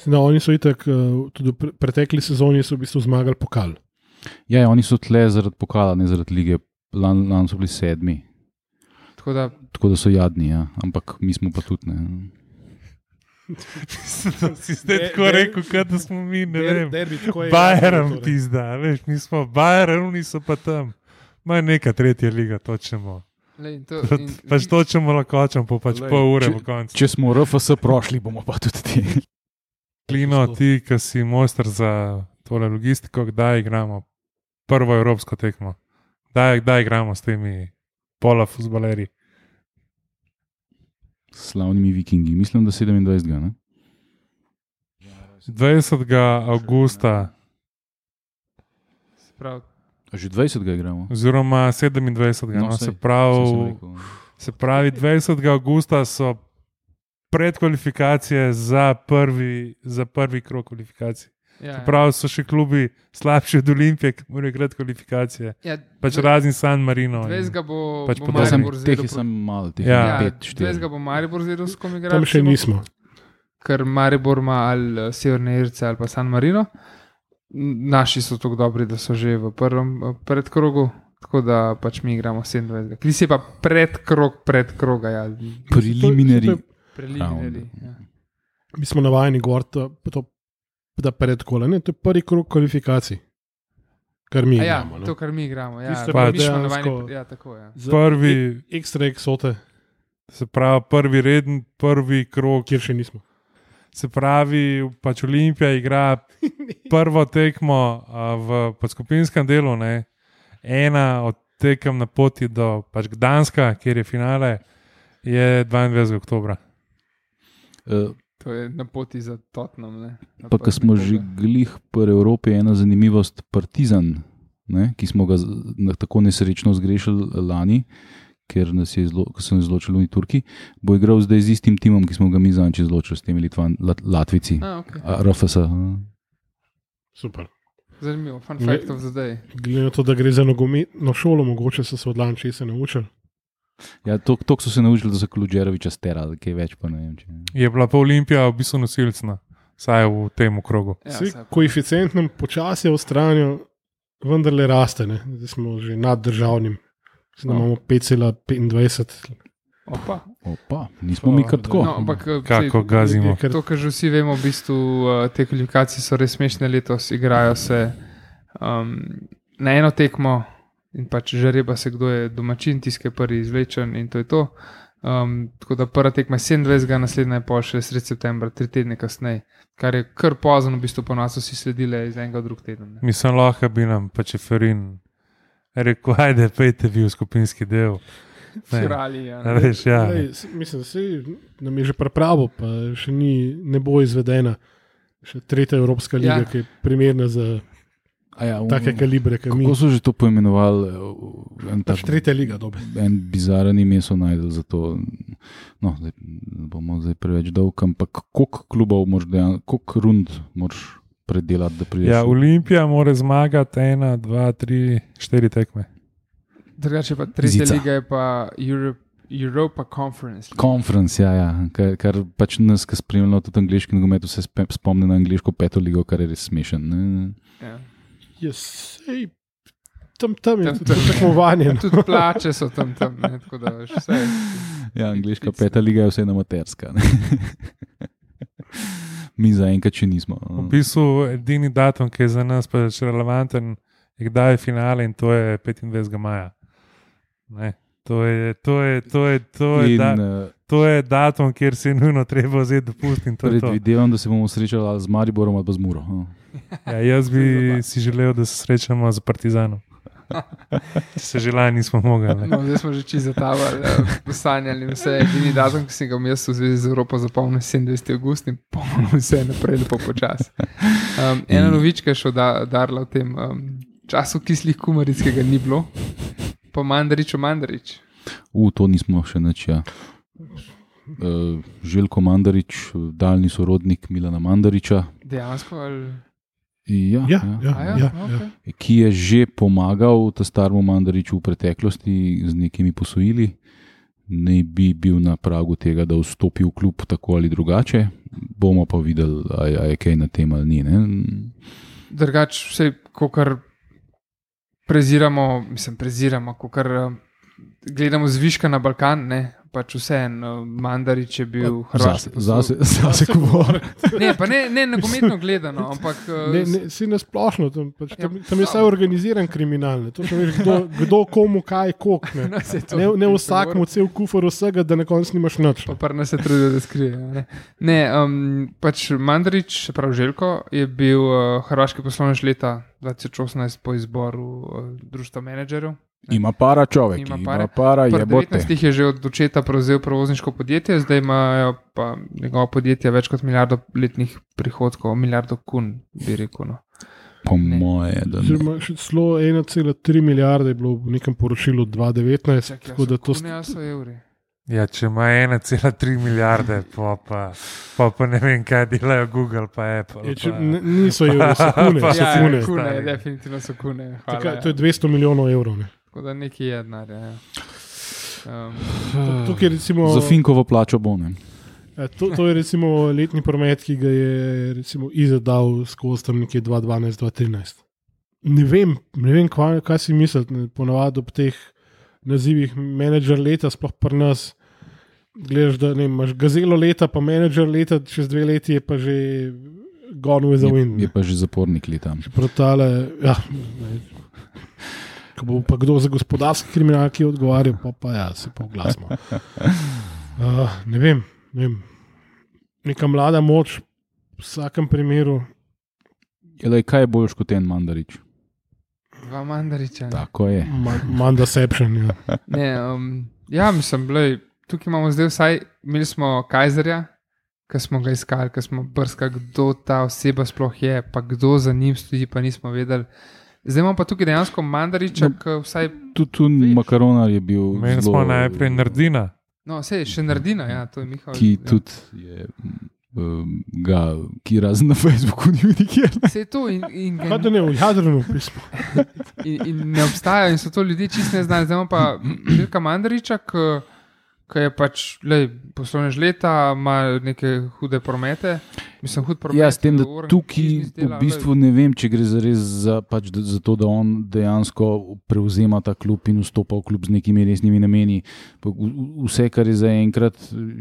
No, oni so itak, tudi v pretekli sezoni so v bistvu zmagali pokal. Ja, oni so tle zaradi pokala, ne zaradi lige. Lani so bili 7. Tako da so jadni, ja. Ampak mi smo pa tudi ne. Si zdaj tako rekel, kot da smo mi, ne vem. Bayern Bayern pizda, veš, mi smo Bayern, oni so pa tam. Ma neka tretja liga, točemo. Pač točemo lakočem, pa pač pol ure v koncu. Če smo RFS prošli, bomo pa tudi ti. Klino, ti, ki si mojster za tole logistiko, kdaj igramo prvo evropsko tekmo? Kdaj igramo s temi polafuzbaleri? Slavnimi vikingi, mislim, da 27. Ne? 20. avgusta. Že 20. igramo. Oziroma 27. No, se pravi 20. avgusta so predkvalifikacije za prvi krog kvalifikacij. Ja, prav so še klubi slabši od Olimpije, ki morajo igrati kvalifikacije. Ja, pač razni San Marino. 20. bo pač Maribor teh je samo malo, teh Ja. je 5-4. 20. bo Maribor z Ruskom igral. Tam še nismo. Ker Maribor ima ali Severne Irce ali pa San Marino. Naši so tako dobri, da so že v prvem predkrogu, tako da pač mi igramo 27. Kri si pa predkroga. Ja. Preliminari. Preliminari, ja. Mi smo navajeni govoriti, da predkole, ne, to je prvi krog kvalifikacij, kar mi Ja, igramo. to, kar mi igramo. Ja, Tiste pa mi smo dejansko- navajeni. Ja, tako, ja. Prvi- Ekstra eksote, Se pravi prvi reden, prvi krog. kjer še nismo. Se pravi, pač Olimpija igra prvo tekmo v podskopinskem delu, ne? Ena od tekem na poti do pač Gdanska, kjer je finale, je 22. oktobra. To je na poti za Tottenham. Pa, ko smo že glih pri Evropi, ena zanimivost, Partizan, ne, ki smo ga tako nesrečno zgrešili lani, ker so nas izločili v Turki, bo igral zdaj z istim timom, ki smo ga mi zanči izločili, s temi Latvici. Okay. RFS. Super. Zanimivo, fun fact of the day. Glede na to, da gre za nogometno šolo, mogoče so se od Lanče se naučili. Ja, toliko so se naučili, da so Kludžeroviča sterali, kaj več pa ne vem. Če... Je bila pa Olimpija v bistvu nosilcna, saj v tem okrogu. Ja, koeficient nam počasi v stranju vendarle raste, ne? Zdaj smo že nad državnim. Zdaj imamo 5,25. Opa, nismo mi kar tako. No, ampak, kako gazimo. To, kar že vsi vemo, v bistvu te kvalifikacije so res smešne letos, igrajo se na eno tekmo in pač žareba se, kdo je domačin, tiskaj prvi izvlečen in to je to. Tako da prva tekma je 27. naslednja je pol še sred septembra, 3 tedne kasneje, kar je kar pozno, v bistvu po nas vsi sledile iz enega v drug teden. Mislim, lahko bi nam pa Čeferin rekel, ajde, pejte vi v skupinski del. Firali, ja. Reš, ja. Mislim, da se nam je že pripravo, pa še ne bo izvedena. Še tretja Evropska liga, ki je primerna za take kalibre. Kako so že to poimenovali? Tretja liga, dobro. En bizaren ime so najdel za to. No, zdaj bomo preveč dolg, ampak koliko klubov koliko rund moraš predelati, da prideš? Ja, Olimpija mora zmagati 1, 2, 3, 4 tekme. Drugače pa tretja liga je pa Europa Conference. Conference, ja. Kar pač nas, ki spremljamo tudi angliški nogomet, se spomni na angliško 5. ligo, kar je res smešen. Ja. Sej, tam je tudi tekmovanje. Tudi plače so tam, ne, tako da vse. Ja, angliška 5. liga je vse amaterska. Mi zaenkrat še nismo. V bistvu edini datum, ki je za nas pa še relevanten, je kdaj je finale in to je 25. maja. Ne, to je datum, kjer se je nujno treba vzeti dopust. Predvidevam, da se bomo srečali z Mariborom ali z Muro. Ja, jaz bi si želel, da se srečamo z Partizanom. Se želaj nismo mogli. No, zdaj smo že čisto zatavali, sanjali vse. Edini datum, ki sem ga v zvezi z Evropo zapomnil, 27. august in polno vse naprej lepo počas. Ena novička je še udarila v tem času kislih kumaric, ki ga ni bilo. Pa Mandarič. To nismo še nič, ja. Željko Mandarič, daljni sorodnik Milana Mandariča. Dejansko ali... Ja. Okay. Ki je že pomagal ta staremu Mandariču v preteklosti z nekimi posojili. Ne bi bil na pragu tega, da vstopi v klub tako ali drugače. Bomo pa videli, a je kaj na tem ali ni. Drugače, vse, kokar preziramo, kokar gledamo zviška na Balkan, ne, pač vse en, Mandarič je bil hrvaški. Zase govor. Ne nogometno gledano, ampak... Si nasplošno, tam je vse organiziran kriminal. To še veš, kdo komu kaj kok. Ne vsakmu cel kufor vsega, da na koncu nimaš nič. Pa ne se trudijo, da skrije. Pač Mandarič, prav Željko, je bil hrvaški poslovnež leta 2018 po izboru društva menedžerjev. Ima para človek, ima para jebote. 19 je že od očeta prevzel prevozniško podjetje, zdaj imajo pa njegovo podjetje več kot milijardo letnih prihodkov, milijardo kun, bi rekel. No. Po moje, da ne. Zdaj še celo 1,3 milijarde je bilo v nekem poročilu 2019. Tako da to so evri. Ja, če ima 1,3 milijarde, pa ne vem, kaj delajo Google pa Apple. Niso evri, so kune. Kune, definitivno so kune. Hvala, to je 200 milijonov evrov. Ne? Tako da nekaj je denar. Za Finkovo plačo bo, ne? To je recimo letni promet, ki ga je recimo izadal skozi tam nekje 2012-2013. Ne vem kaj si misliti, ponavadi ob teh nazivih menedžer leta, sploh pri nas gledaš, da imaš gazelo leta, pa menedžer leta, čez 2 leti je pa že gone with the wind. Je pa že zapornik leta. Ko bo pa kdo za gospodarski kriminal, ki je odgovarjal, pa se pa oglasimo. Ne vem. neka mlada moč v vsakem primeru. Kaj je boljš kot en Mandarič? Dva Mandariča. Tako je. Mandaception, ja. Ne, ja, mislim, tukaj imamo zdaj vsaj, imeli smo Kajzerja, ki smo ga iskali, ki smo brskali, kdo ta oseba sploh je, pa kdo za njim stoji, pa nismo vedeli. Zdaj imamo pa tukaj dejansko Mandariča, ki vsaj... Tudi Makaronar je bil Meni zelo... smo najprej Nardina. No, sej, še Nardina, ja, to je Mihal. Ki tudi je... ki razen na Facebooku ni nikjer. Vse to in Kaj da ne, v Jadranu pismo. in ne obstajajo in so to ljudje čist ne znali. Zdaj imamo pa Milka Mandariča, ki je pač poslovne žleta, ima neke hude promete. Mislim, hud promet. Ja, s tem, da tukaj v bistvu ne vem, če gre zares za to, da on dejansko prevzema ta klub in vstopa v klub z nekimi resnimi nameni. Vse, kar je zaenkrat,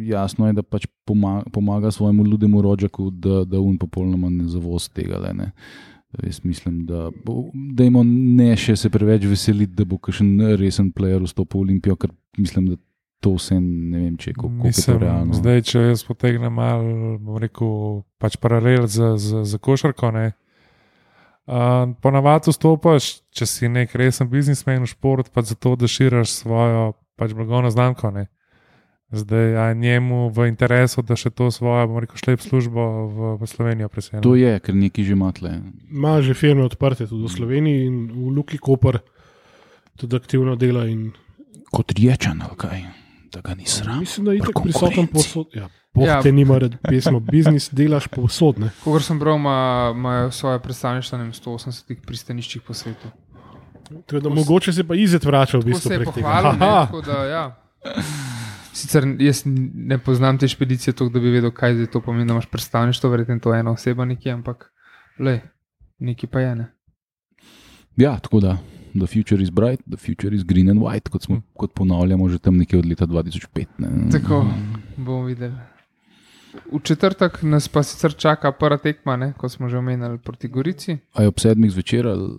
jasno je, da pač pomaga svojemu ludemu rođaku, da on popolnoma ne zavoz tega. Ne. Jaz mislim, da dajmo ne še se preveč veseliti, da bo kakšen resen player vstopil v Olimpijo, ker mislim, da to vse ne vem, če koliko je to realno. Zdaj, če jaz potegnem malo, bom rekel, pač paralel za košarko, ne. Ponavadi vstopaš, če si nek resen biznismen v šport, pač zato, da širiš svojo pač blagovno znamko, ne. Zdaj, a njemu v interesu, da še to svojo, bom rekel, šlep službo v Slovenijo preselja. To je, ker neki že ima tle. Ima že firme odprte tudi v Sloveniji in v Luki Koper tudi aktivno dela in... Kot Riječan, ali kaj? Da ga ni sram. Mislim, da je itak prisoten povsod. Ja, te nima rad pesmo. Biznis delaš povsod, ne. Kogar sem bral, imajo svoje predstavništva na 180 pristaniščih po svetu. Tako da mogoče se pa Izet vrača v bistvu prek tega. Tako se je pohvalil, tako da ja. Sicer jaz ne poznam te špedicije toliko, da bi vedel, kaj zdaj to pomeni, da imaš predstavništvo, verjetno to ena oseba nekje, ampak nekaj pa je, ne. Ja, tako da. The future is bright, the future is green and white, kot ponavljamo že tam nekje od leta 2005. Ne. Tako, bomo videli. V četrtek nas pa sicer čaka prva tekma, ne, kot smo že omenjali proti Gorici. A je ob 7 zvečer ali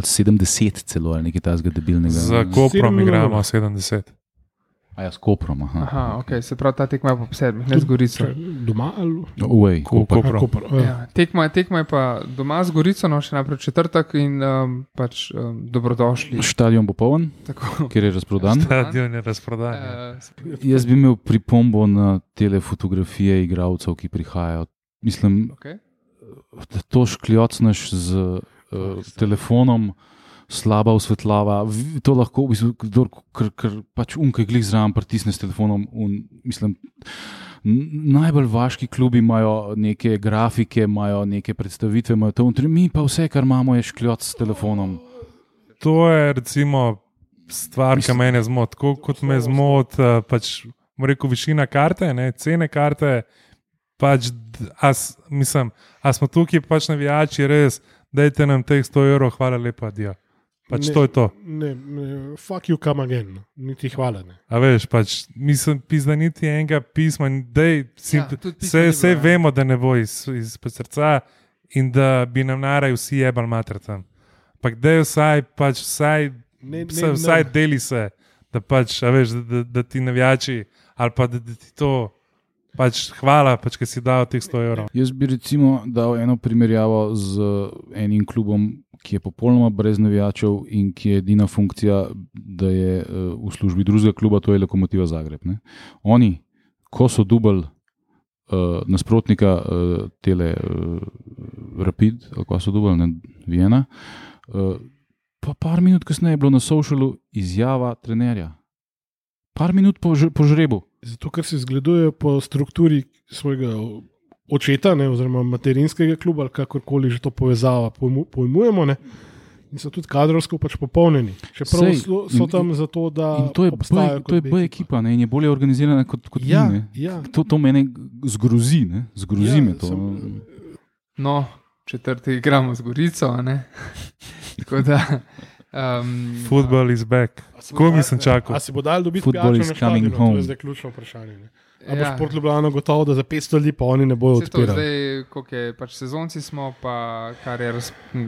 70 celo, ali nekaj tazga debilnega? Za Koprom igramo 70. A ja, s Koprom, aha. Aha, ok, se pravi, ta tekma je pa ob 7, ne z Gorico. Doma ali? Uej, Koper. Ja, tekma je pa doma z Gorico, no še naprej četrtek in pač dobrodošli. Štadion bo poln, kjer je razprodan. Stadion je razprodan. Jaz bi imel pripombo na tele fotografije igralcev, ki prihajajo. Mislim, da to škljocneš z telefonom, slaba osvetljava, to lahko v bistvu, ker pač unkaj glih zraven pritisne s telefonom. Mislim, najbolj vaški klubi imajo neke grafike, imajo neke predstavitve, imajo to, mi pa vse, kar imamo, je škljoc s telefonom. To je recimo stvar, ki mene zmot. Tako kot me zmot, pač, rekel, višina karte, ne, cene karte, pač, mislim, a smo tukaj pač navijači, res, dajte nam teh 100 €, hvala lepa, adijo. Pač ne, to je to. Ne, fuck you, come again. Niti hvala, ne. A veš, pač, mislim, pizda niti enega pisma, dej, vse vemo, da ne bo iz srca in da bi nam naraj vsi jebal mater tam. Pak dej vsaj deli se, da pač, a veš, da ti navijači, ali pa da ti to, pač hvala, pač, ker si dal teh 100 €. Jaz bi recimo dal eno primerjavo z enim klubom, ki je popolnoma brez navijačev in ki je edina funkcija, da je v službi drugega kluba, to je Lokomotiva Zagreb. Ne? Oni, ko so dubali nasprotnika tele Rapid, ali ko so dubali, Vijena, pa par minut kasneje je bilo na socialu izjava trenerja. Par minut po žrebu. Zato, ker se zgledujejo po strukturi svojega očeta, ne, oziroma materinskega kluba, ali kakorkoli že to povezava pojmujemo, ne, in so tudi kadrovsko pač popolnjeni. Čeprav so tam zato, da obstajajo. To je B ekipa, ne, in je bolje organizirana kot ja, mi. Ja. To mene zgrozi, ne, zgrozi me to. No, četrti igramo z Gorico, ne. Tako da... Football is back. Ko mi sem čakal? A si bo dal dobiti pijačo na štadionu? To je zdaj ključno vprašanje. Ne? A bo Šport Ljubljana gotovo, da za 500 ljudi pa oni ne bojo odpirali? Zdaj, koliko je, pač sezonci smo, pa kar je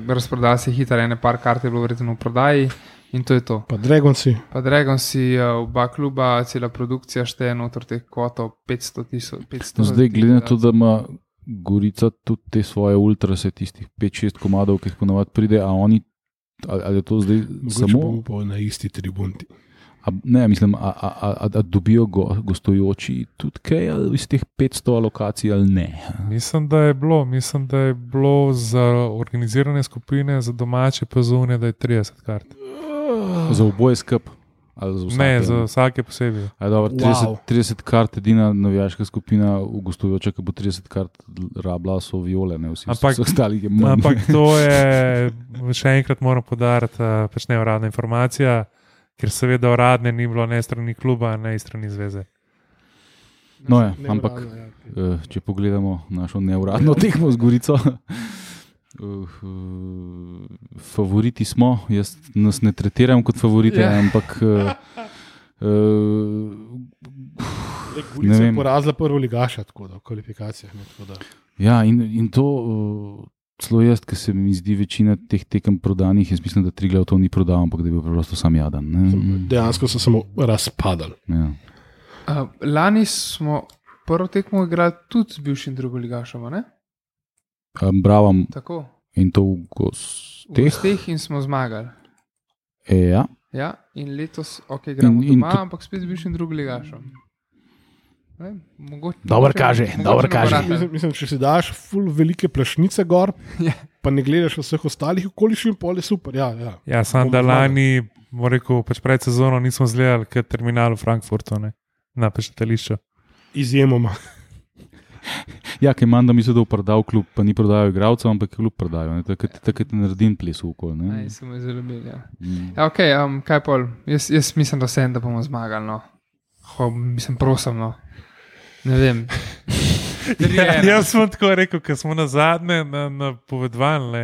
razprodal se hitro, ene par kart je bilo verjetno v prodaji In to je to. Pa Dragonsi. Pa Dragonsi, oba kluba, cela produkcija šteje noter teh kvotov 500 Zdaj, glede na to, da ima Gorica tudi te svoje ultrase, tistih 5-6 komadov, ki jih ponavadi pride, a oni, ali je to zdaj Mogoče samo... bomo pa na isti tribunti. Ne, mislim, a dobijo gostujoči tudi kaj ali iz teh 500 alokacij ali ne? Mislim, da je bilo za organizirane skupine, za domače pa zunaj, da je 30 kart. Za oboje skup? Ali za vsake? Ne, za vsake posebej. Dobro, 30 kart, edina navijaška skupina v gostujoče, ki bo 30 kart rabila, so Viole, ne vsi ostali je manj. Ampak to je, še enkrat moram podariti, pač neuradna informacija, ker seveda uradne ni bilo ne strani kluba, ne strani zveze. No ja, ampak če pogledamo našo neuradno tekmo z Gorico, favoriti smo, jaz nas ne tretiram kot favorite, ampak Gorica je porazila prvo ligaša, tako da v kvalifikacijah. Ja, in to celo jaz, ki se mi zdi večina teh tekem prodanih, jaz mislim, da Triglav to ni prodal, ampak da je bil preprosto sam jadan. Dejansko so samo razpadali. Ja. Lani smo prvo tekmo igrali tudi z bivšim drugoligašom, ne? Bravo. Tako. In to v gosteh in smo zmagali. Ja. Ja, in letos, igramo doma, ampak spet z bivšim drugoligašom. Dobro kaže. Mislim, če si daš ful velike plašnice gor, pa ne gledaš vseh ostalih okoliščin, pol je super. Ja, sam da lani, rekel, pač pred sezono nismo zgledali kot terminal v Frankfurtu, ne, na pečetališču. Izjemoma. Ja, ker imam, da misli, da je prodal klub, pa ni prodajal igralcev, ampak je klub prodajal. Tako ti naredim ples v okol. Ne, se mu je zelo bil, ja. Kaj pol? Jaz mislim, da bomo zmagali, no. Mislim, prosim, no. Ne vem. Jaz sem tako rekel, ker smo na zadnje napovedovali.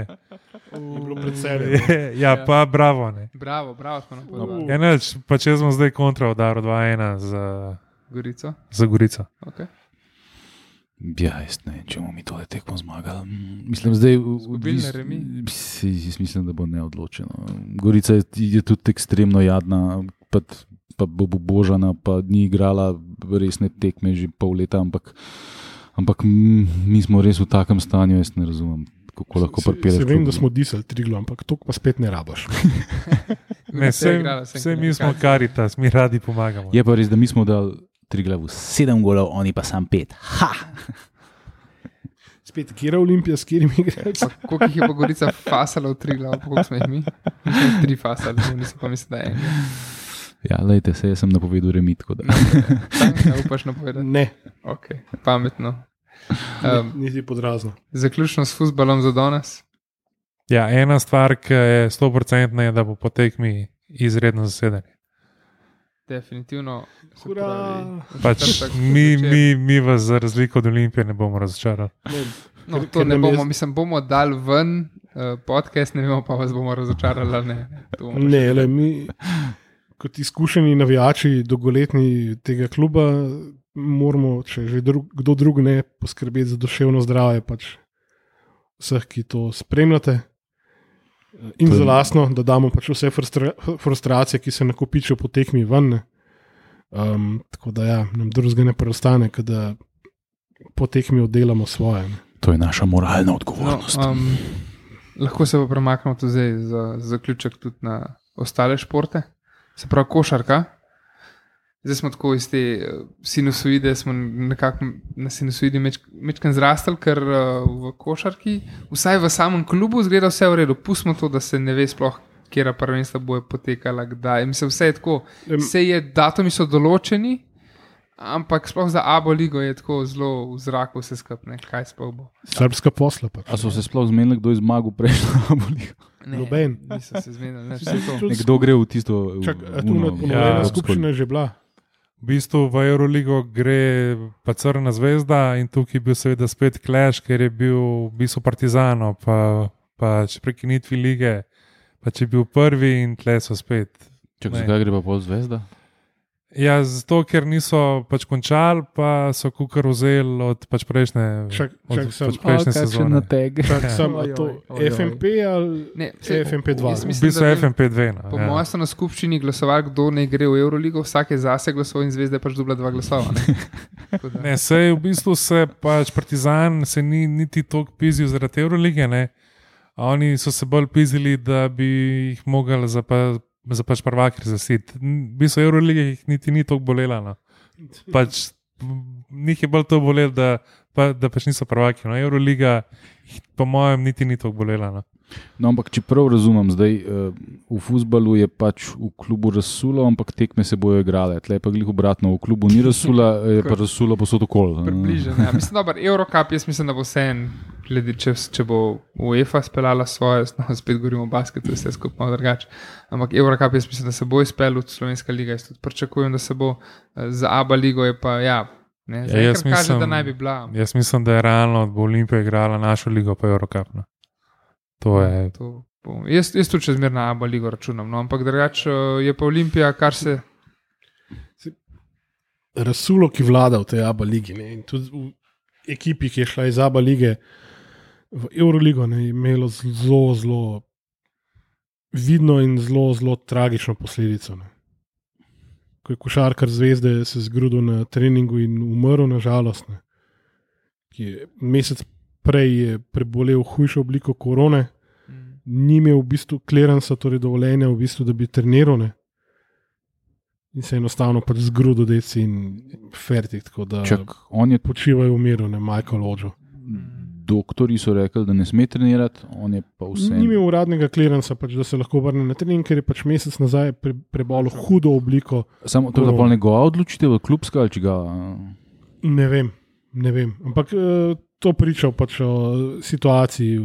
Je bilo predvsej. Ja, pa bravo. Ne. Bravo smo napovedovali. Ja, neč, pa če smo zdaj kontra udarili 2-1 za Gorico. Za Gorico. Okay. Ja, jaz ne, če bomo mi tole tekmo zmagali. Mislim, zdaj... Zgubili remi? Jaz mislim, da bo neodločeno. Gorica je tudi ekstremno jadna, pa bo božana, pa ni igrala resne tekme že pol leta, ampak mi smo res v takem stanju, jaz ne razumem, kako lahko pripeleš. Se vem, da smo disali Triglav, ampak to pa spet ne rabaš. Ne, vse mi smo Karitas, mi radi pomagamo. Je pa res, da mi smo dali Triglavu 7 golov, oni pa sam 5. Ha! Spet, kje je Olimpija, s katerimi igraš? Koliko jih je pa Gorica fasala v Triglav, koliko smo jih mi? Mislim, 3 fasali, nisem pa mislil, da je enega. Ja, lejte, se jaz sem napovedal remi, tako da. Ne upaš napovedati? Ne. Ok, pametno. Nisi podrazno. Zaključno s fuzbalom za danes? Ja, ena stvar, ki je 100% je, da bo po tekmi izredno zasedanje. Definitivno. Pač mi vas za razliko od Olimpije ne bomo razočarali. No, to ne bomo, mislim, bomo dali ven podcast, ne vemo pa vas bomo razočarali. Ne, mi kot izkušeni navijači, dolgoletni tega kluba, moramo, če že kdo drug ne, poskrbeti za duševno zdravje pač vseh, ki to spremljate. In za lastno, da damo pač vse frustracije, ki se nakopičijo po tekmi ven. Tako da ja, nam drugega ne preostane, da po tekmi oddelamo svoje. Ne. To je naša moralna odgovornost. Lahko se pa premaknemo tudi zdaj za zaključek tudi na ostale športe. Se pravi košarka. Zdaj smo tako iz te sinusoide, smo nekako na sinusoidi mečkan zrastali, ker v košarki, vsaj v samem klubu, zgleda vse v redu. Pustimo to, da se ne ve sploh, kjera prvenstva bojo potekala, kdaj. Mislim, vse je tako, datumi so določeni, ampak sploh za ABO ligo je tako zelo v zraku vse skupne. Kaj sploh bo? Srbska posla pač. A so se sploh zmenili, kdo je zmagal prejšnjo ABO ligo? Noben. Niso se zmenili. Nekdo gre v tisto... skupščina je že bila. V bistvu v Euroligo gre pa Crna zvezda in tukaj je bil seveda spet Clash, ker je bil v bistvu Partizano, pa če prekinitvi lige, pa če je bil prvi in tle so spet. Zakaj gre pa pol zvezda? Ja, zato, ker niso pač končali, pa so kukar vzeli od pač prejšnje, Čak od sem. pač prejšnje sezone. nateg. Sem to FMP ali Ne, saj, FMP2? jaz V mislim, bistvu da bi- FMP2. No, Po mojem so na skupščini glasovali, kdo ne gre v Euroligo, vsak je zase glasoval in Zvezda je pač dobila 2 glasova. Ne? Tako da- Ne, sej v bistvu se pač Partizan se ni niti toliko pizil zaradi Eurolige, ne. A oni so se bolj pizili, da bi jih mogli za pač prvaki razglasiti. V bistvu Euroliga jih niti ni toliko bolela. No. Pač, njih je bolj to bolelo, da pač niso prvaki. No. Euroliga jih po mojem niti ni toliko bolela. No. No, ampak če prav razumem, zdaj v fuzbalu je pač v klubu razsulo, ampak tekme se bojo igrale. Tle je pa glih obratno, v klubu ni razsula, je pa razsula posod okoli. Približno. Ja. Mislim, da Eurocup, jaz mislim, da bo vse en, glede če bo UEFA speljala svoje, no, spet govorimo o basketu, vse skupaj malo drugače. Ampak Eurocup, jaz mislim, da se bo izpeljal, Slovenska liga, jaz tudi pričakujem, da se bo, za ABA ligo je pa, ja, ne, Ja, jaz kaže, mislim- da naj bi bila. Jaz mislim, da je realno, da bo Olimpija igrala našo ligo, pa Eurocup. No. To je. To bo. Jaz tudi čez mer na ABA ligo računam, no, ampak drugače je pa Olimpija, kar se. Razsulo, ki vlada v tej ABA ligi. Ne? In tudi v ekipi, ki je šla iz ABA lige v Euroligo, ne, je imelo zelo, zelo vidno in zelo, zelo tragično posledico. Ne? Ko je košarkar Zvezde se zgrudil na treningu in umrl, nažalost, ne? Ki je mesec prej je prebolel hujšo obliko korone, ni imel v bistvu kleransa, torej dovoljenja, v bistvu, da bi treniral. Ne? In se je enostavno pač zgrudil, deci in fertik, tako da Čak, on je, počivajo v miru, ne Michael Odžo. doktori so rekli, da ne sme trenirati, on je pa vse. Ni imel uradnega kleransa, pač, da se lahko vrne na trening, ker je pač mesec nazaj prebolel hudo obliko. Samo to je bila njegova odločitev, klubska ali čiga. Ne vem. Ampak to priča pač o situaciji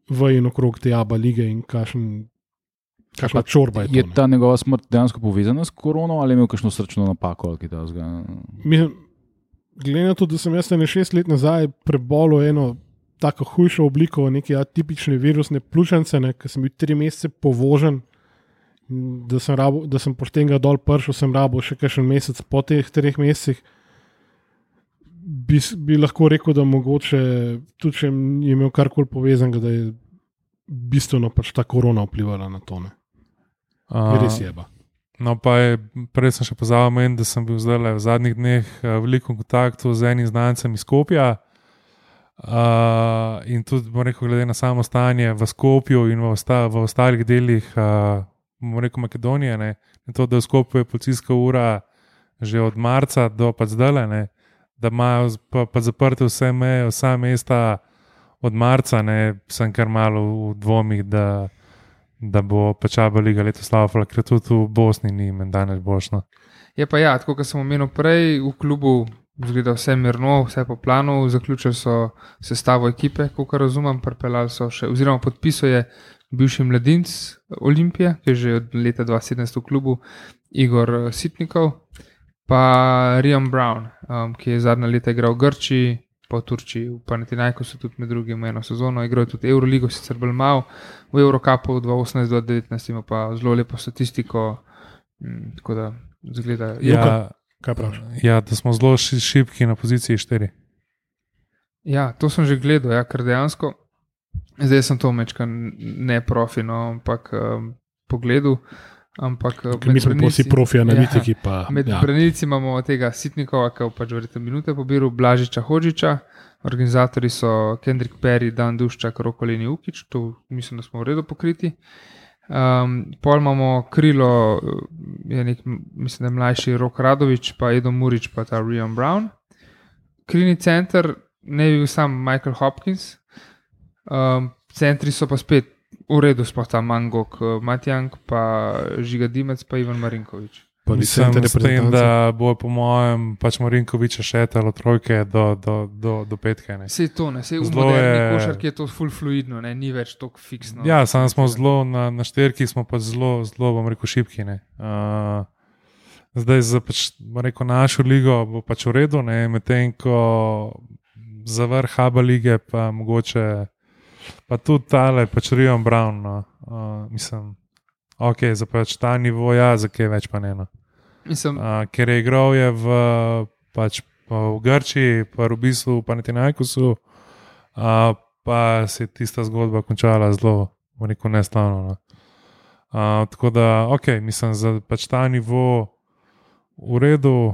v in okrog te ABA lige in kakšna čorba je to. Je ta njegova smrt dejansko povezana s korono ali je imel kakšno srčno napako ali kaj takega? Glede na to, da sem jaz 6 let nazaj prebolel eno tako hujšo obliko, neke atipične virusne pljučnice, ker sem bil 3 mesece povožen, da sem pošten ga dol prišel, sem rabo še kakšen mesec po teh 3 mesecih. Bi lahko rekel, da mogoče tudi če je imel karkoli povezanega, da je bistveno pač ta korona vplivala na to. Res je. No, pa je, prej sem še pozabil, da sem bil zdaj v zadnjih dneh v velikem kontaktu z enim znancem iz Skopja. In tudi, bom rekel, glede na samo stanje v Skopju in v ostalih delih, bom rekel, Makedonije, ne, in to, da v Skopju je policijska ura že od marca do pa zdaj, ne, da imajo pa zaprte vse meje, vsa mesta od marca, ne, sem kar malo v dvomih, da bo pač ABA liga letos slava, ker tudi v Bosni ni in danes bošno. Je pa ja, tako kot sem omenil prej, v klubu zgleda vse mirno, vse po planu, zaključili so sestavo ekipe, kolikor razumem, pripeljali so še, oziroma podpisuje bivši mladinec Olimpije, ki je že od leta 2017 v klubu, Igor Sitnikov, pa Rian Brown, ki je zadnja leta igral v Grčiji, po Turčiji, v Panathinaikosu tudi med drugim eno sezono, igral je tudi Euroligo, sicer bolj malo, v Eurocupu 2018-2019 ima pa zelo lepo statistiko, tako da zgleda. Kaj praviš? Ja, da smo zelo šibki na poziciji 4. Ja, to sem že gledal, ja, ker dejansko, zdaj sem to mečka ne profi, no, ampak pogledal. Ampak mi smo pa vsi profi analitiki. Ja, med branilci imamo tega Sitnikova, ki je pač verjetno minute pobiral, Blažiča Hodžiča, organizatori so Kendrick Perry, Dan Duščak, Roko Leni Ukić, to mislim, da smo v redu pokriti. Pol imamo krilo, je mislim, da je mlajši Rok Radović, pa Edo Murić, pa ta Rian Brown. Krilni center ne bi bil sam Michael Hopkins, centri so pa spet v redu, sploh ta Mangok, Matjank, pa Žiga Dimec, pa Ivan Marinković. Mislim, s tem, da bo po mojem pač Marinkovića šetalo trojke do petke. Sej to, ne, sej v moderni košarki je to full fluidno, ne, ni več toliko fiksno. Ja, samo smo zelo na šterki, smo pa zelo, bom rekel, šibki. Zdaj za pač, bom rekel, našo ligo bo pač v redu, medtem ko za vrh ABA lige pa mogoče, pa tudi tale pač Rian Brown, no. Mislim, ok, za pač ta nivo, ja, za kaj več pa ne. No. Mislim, ker je igral je v Grčiji, pa v bistvu v Panathinaikosu, pa se je tista zgodba končala zelo neslavno. Tako da, mislim, za ta nivo v redu,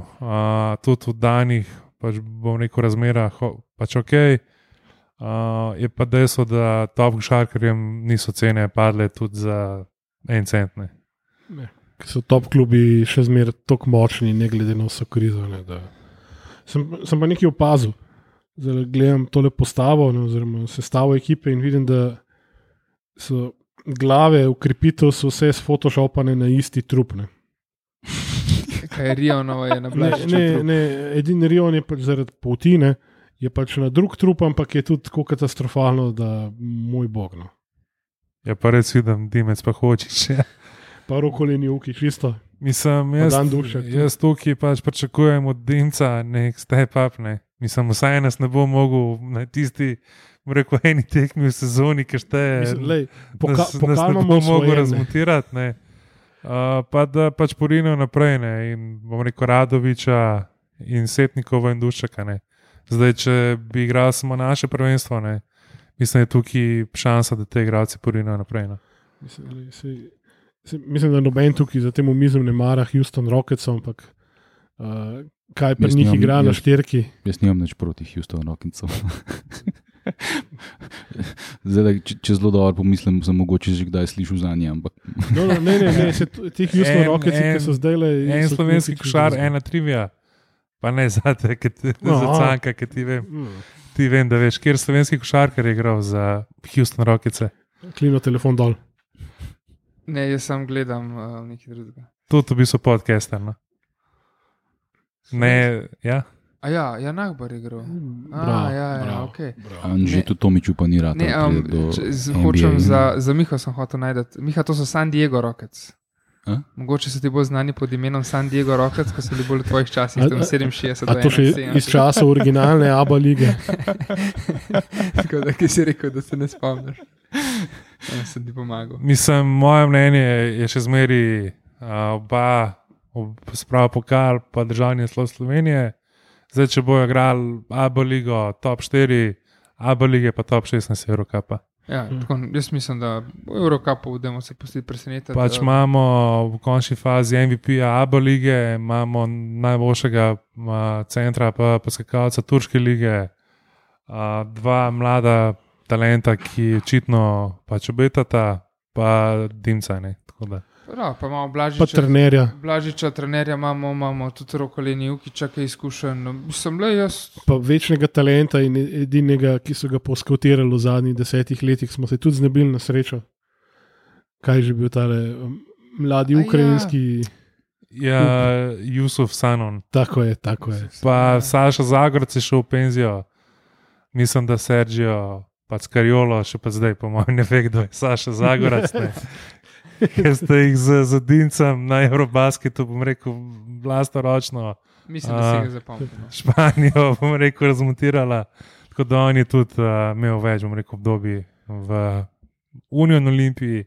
tudi v danih, bom rekel, razmerah, je pa dejstvo, da top košarkarjem niso cene padle tudi za 1 cent. Ker so top klubi še zmeraj tako močni, ne glede na vso krizo. Sem pa nekaj opazil. Zdaj gledam tole postavo, oziroma sestavo ekipe in vidim, da so glave ukrepitev so vse sfotoshopane na isti trup. Kaj je Rionova je na Blažiču? Ne, edini Rion je pač zaradi poltine, je pač na drug trup, ampak je tudi tako katastrofalno, da moj bog. No. Ja, pa res vidim, Dimec pa hočeš. Pa rokoli ni uki, čisto. Mislim, jaz tukaj pač pričakujem od Dimca nek step up. Ne. Mislim, vsaj nas ne bo mogel na tisti, rekel, eni tekmi v sezoni, ki šteje. Nas ne bo mogel razmontirati. Ne. Pa da pač porinijo naprej. Ne. In bom rekel Radoviča in Setnikova in Duščaka. Ne. Zdaj, če bi igral samo naše prvenstvo, ne. Mislim, da je tukaj šansa, da te igralci porinijo naprej. Ne. Mislim, da noben tukaj za tem omizem ne mara Houston Rockets, ampak kaj pri njih igra na štirki. Jaz nimam nič proti Houston Rocketsom. Zdaj, če zelo dobro pomislim, sem mogoče že kdaj slišal za nje. Ampak... Ne, ti Houston Rockets, ki so zdaj le... En slovenski košar, ena trivia. Pa ne zate, za Canka, ki ti vem. Ti vem, da veš, kjer slovenski košarkar je igral za Houston Rockets. Klino telefon dol. Ne, jaz sam gledam nekaj drugega. Tudi v bistvu podcaster, no? Ne, ja? Ja, Nagbar je igral. Ok. Anžetu Tomiču pa ni rad. Ne, hočem za Miho sem hotel najdeti. Miha, to so San Diego Rockets. Mogoče so ti bolj znani pod imenom San Diego Rockets, ko so bili bolj v tvojih časih, tam 67. A to še iz časa originalne ABA lige? Tako da, ki si rekel, da se ne spomniš. Ja, sem ti pomagal. Mislim, moje mnenje je še zmeri oba sprava pokal pa državni naslov Slovenije. Zdaj, če bojo igrali ABA ligo top 4, ABA lige pa top 16 Eurocapa. Ja, tako, jaz mislim, da v Eurocupu budemo se pustiti presenetiti. Pač imamo v končni fazi MVP-a ABA lige, imamo najboljšega centra pa skakalca Turške lige, dva mlada talenta, ki očitno pač obetata, pa Dimca, ne, tako da. Pa imamo Pa trenerja. Blažiča, trenerja imamo tudi Rokoleni Ukiča, ki je izkušen. Mislim, jaz... Pa večnega talenta in edinega, ki so ga poskautirali v zadnjih 10 letih, smo se tudi znebili na srečo. Kaj je že bil tale mladi ukrajinski... Ja, Jusuf Sanon. Tako je. Pa Saša Zagorec je šel v penzijo. Mislim, da Sergio pa Skariolo, še pa zdaj, po mojem, ne ve, kdo je Saša Zagorec. Ker ste jih z Dincem na Eurobasketu, bom rekel, vlastoročno. Mislim, da si ga zapomnil. Španijo, bom rekel, razmontirala. Tako da on je tudi imel več, bom rekel, obdobji v Union Olimpiji,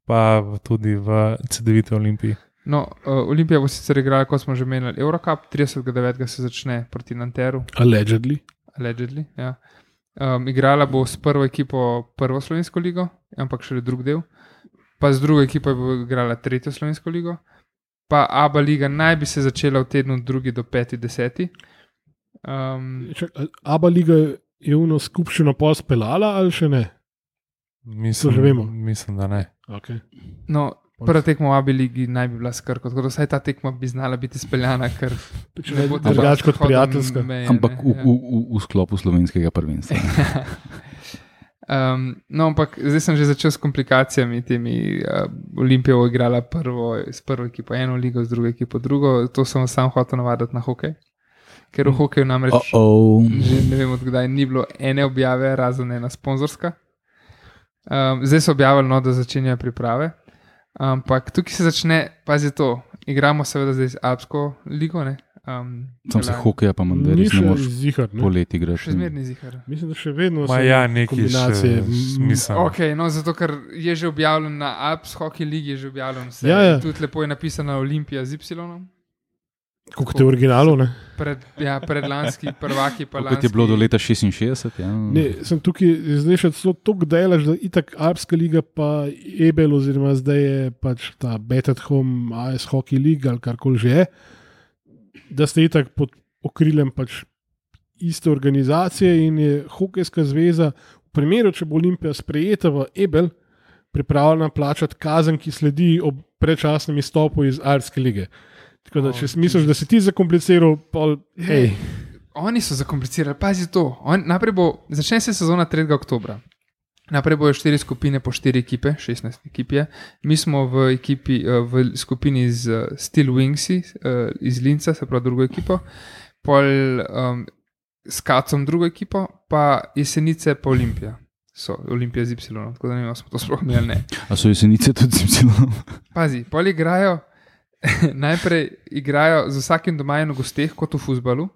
pa tudi v CD9 Olimpiji. No, Olimpija bo sicer igrala, kot smo že menili, Eurocup, 30.9. se začne proti Nanteru. Allegedly, ja. Igrala bo s prvo ekipo prvo slovensko ligo, ampak šele drug del. Pa z drugo ekipo bo igrala tretjo slovensko ligo. Pa ABA liga naj bi se začela v tednu 2. do 5.10. ABA liga je uno skupščino pol speljala ali še ne? Mislim, da ne. Okay. No, prva tekma v ABA ligi naj bi bila s Krko, tako da vsaj ta tekma bi znala biti speljana, ker ne bo drugače kot prijateljska. Ampak v sklopu slovenskega prvenstva. No, ampak zdaj sem že začel s komplikacijami temi. Olimpija bo igrala s prvo ekipo eno ligo, z drugo ekipo drugo. To sem sam hotel navaditi na hokej. Ker v hokeju namreč že ne vem odkdaj ni bilo ene objave, razen ena sponzorska. Zdaj so objavili, da začenjajo priprave. Ampak tukaj se začne, pazi to, igramo seveda zdaj z Alpsko ligo, ne? Sam se hokeja pa manj, res ne moreš poleti igrati. Še zmerni zihar. Mislim, da še vedno so kombinacije smisel. Ok, no zato, ker je že objavljen na Alps Hockey Ligi, je že objavljen vse. Ja. Tudi lepo je napisano Olimpija z Y. Kot te originalu, ne? Predlanski prvaki pa Kot je bilo do leta 66. Ja. Ne, sem tukaj zdaj še celo toliko delaš, da itak Alpska liga pa Ebel oziroma zdaj je pač ta Bet at Home AS Hockey League ali karkoli že je, da ste itak pod okriljem pač iste organizacije in je Hokejska zveza v primeru, če bo Olimpija sprejeta v Ebel, pripravljena plačati kazen, ki sledi ob predčasnem izstopu iz Alpske lige. Tako da, če misliš, da si ti zakompliciral, hej. Oni so zakomplicirali, pazi to. Začne se sezona 3. oktobra. Naprej bojo 4 skupine po 4 ekipe, 16 ekip je. Mi smo v skupini z Steel Wingsi iz Linca, se pravi drugo ekipo, pol s Kacom drugo ekipo, pa Jesenice pa Olimpija. So Olimpija z Y, tako da ne vem, smo to sploh imeli, ne. A so Jesenice tudi z Y? Pazi, pol igrajo. Najprej igrajo z vsakim doma in v gosteh, kot v fuzbalu,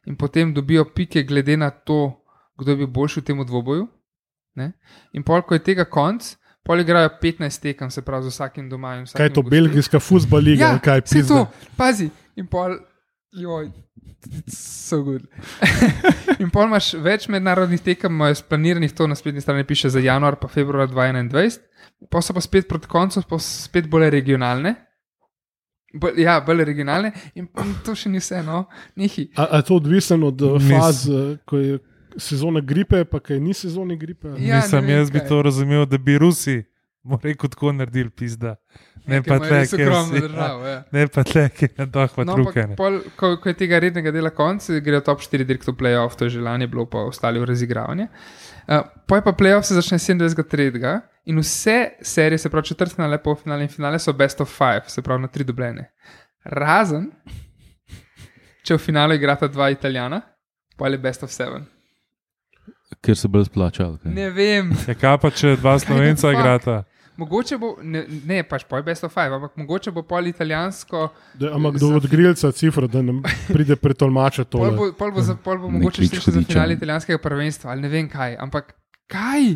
in potem dobijo pike, glede na to, kdo je bil boljši v tem dvoboju. Ne? In pol, ko je tega konc, pol igrajo 15 tekem, se pravi, z vsakim doma in vsakim. Kaj je to, belgijska fuzbal liga? Ja, kaj vse to, pazi. In pol, so good. In pol imaš več mednarodnih tekem, imajo splaniranih, to na spletni strani piše za januar pa februar 2021, pa so pa spet proti koncu, pa spet bolj regionalne. Bolj regionalne in to še ni vse, no, nehi. A je to odvisno od faz, ko je sezona gripe, pa kaj ni sezone gripe? Ja, jaz bi to razumel, da bi Rusi, rekel, tako naredili pizda. Ne pa tle, ki je na doh pa trukane. Ko je tega rednega dela konc, grejo top 4 direkt v playoff, to je želanje bilo, pa ostali v razigravanje. Poj pa playoff se začne 27.3. In vse serije, se pravi četrtfinale, polfinale in finale so best of 5, se pravi na 3 dobljene. Razen, če v finalu igrata 2 Italijana, pa je best of 7. Ker se bolj splačal. Ne vem. Kaj pa če 2 Slovenca igrata? Mogoče bo, ne pač poj best of 5, ampak mogoče bo pol italijansko. Ampak kdo od grilca cifra, da nam pride pretolmača to. Pol bo mogoče slišati za finale italijanskega prvenstva, ali ne vem kaj, ampak kaj?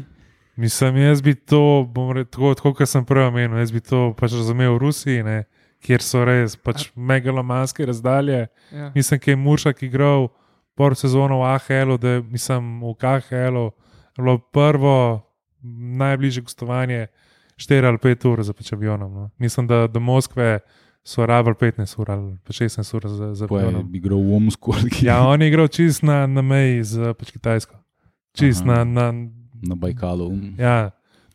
Mislim, jaz bi to, tako kot sem prej omenil, jaz bi to pač razumel v Rusiji, ne, kjer so res pač megalomanske razdalje. Ja. Mislim, da je Muršak igral por sezono v AHL-u, da mislim v KHL-u bilo prvo najbližje gostovanje 4 ali 5 ur za pač avionom. No. Mislim, da do Moskve so rabili 15 ur ali 16 ur za avionom. Pa je igral v Omsku. Ja, on je igral čist na meji z pač Kitajsko. Čist na Bajkalu. Ja,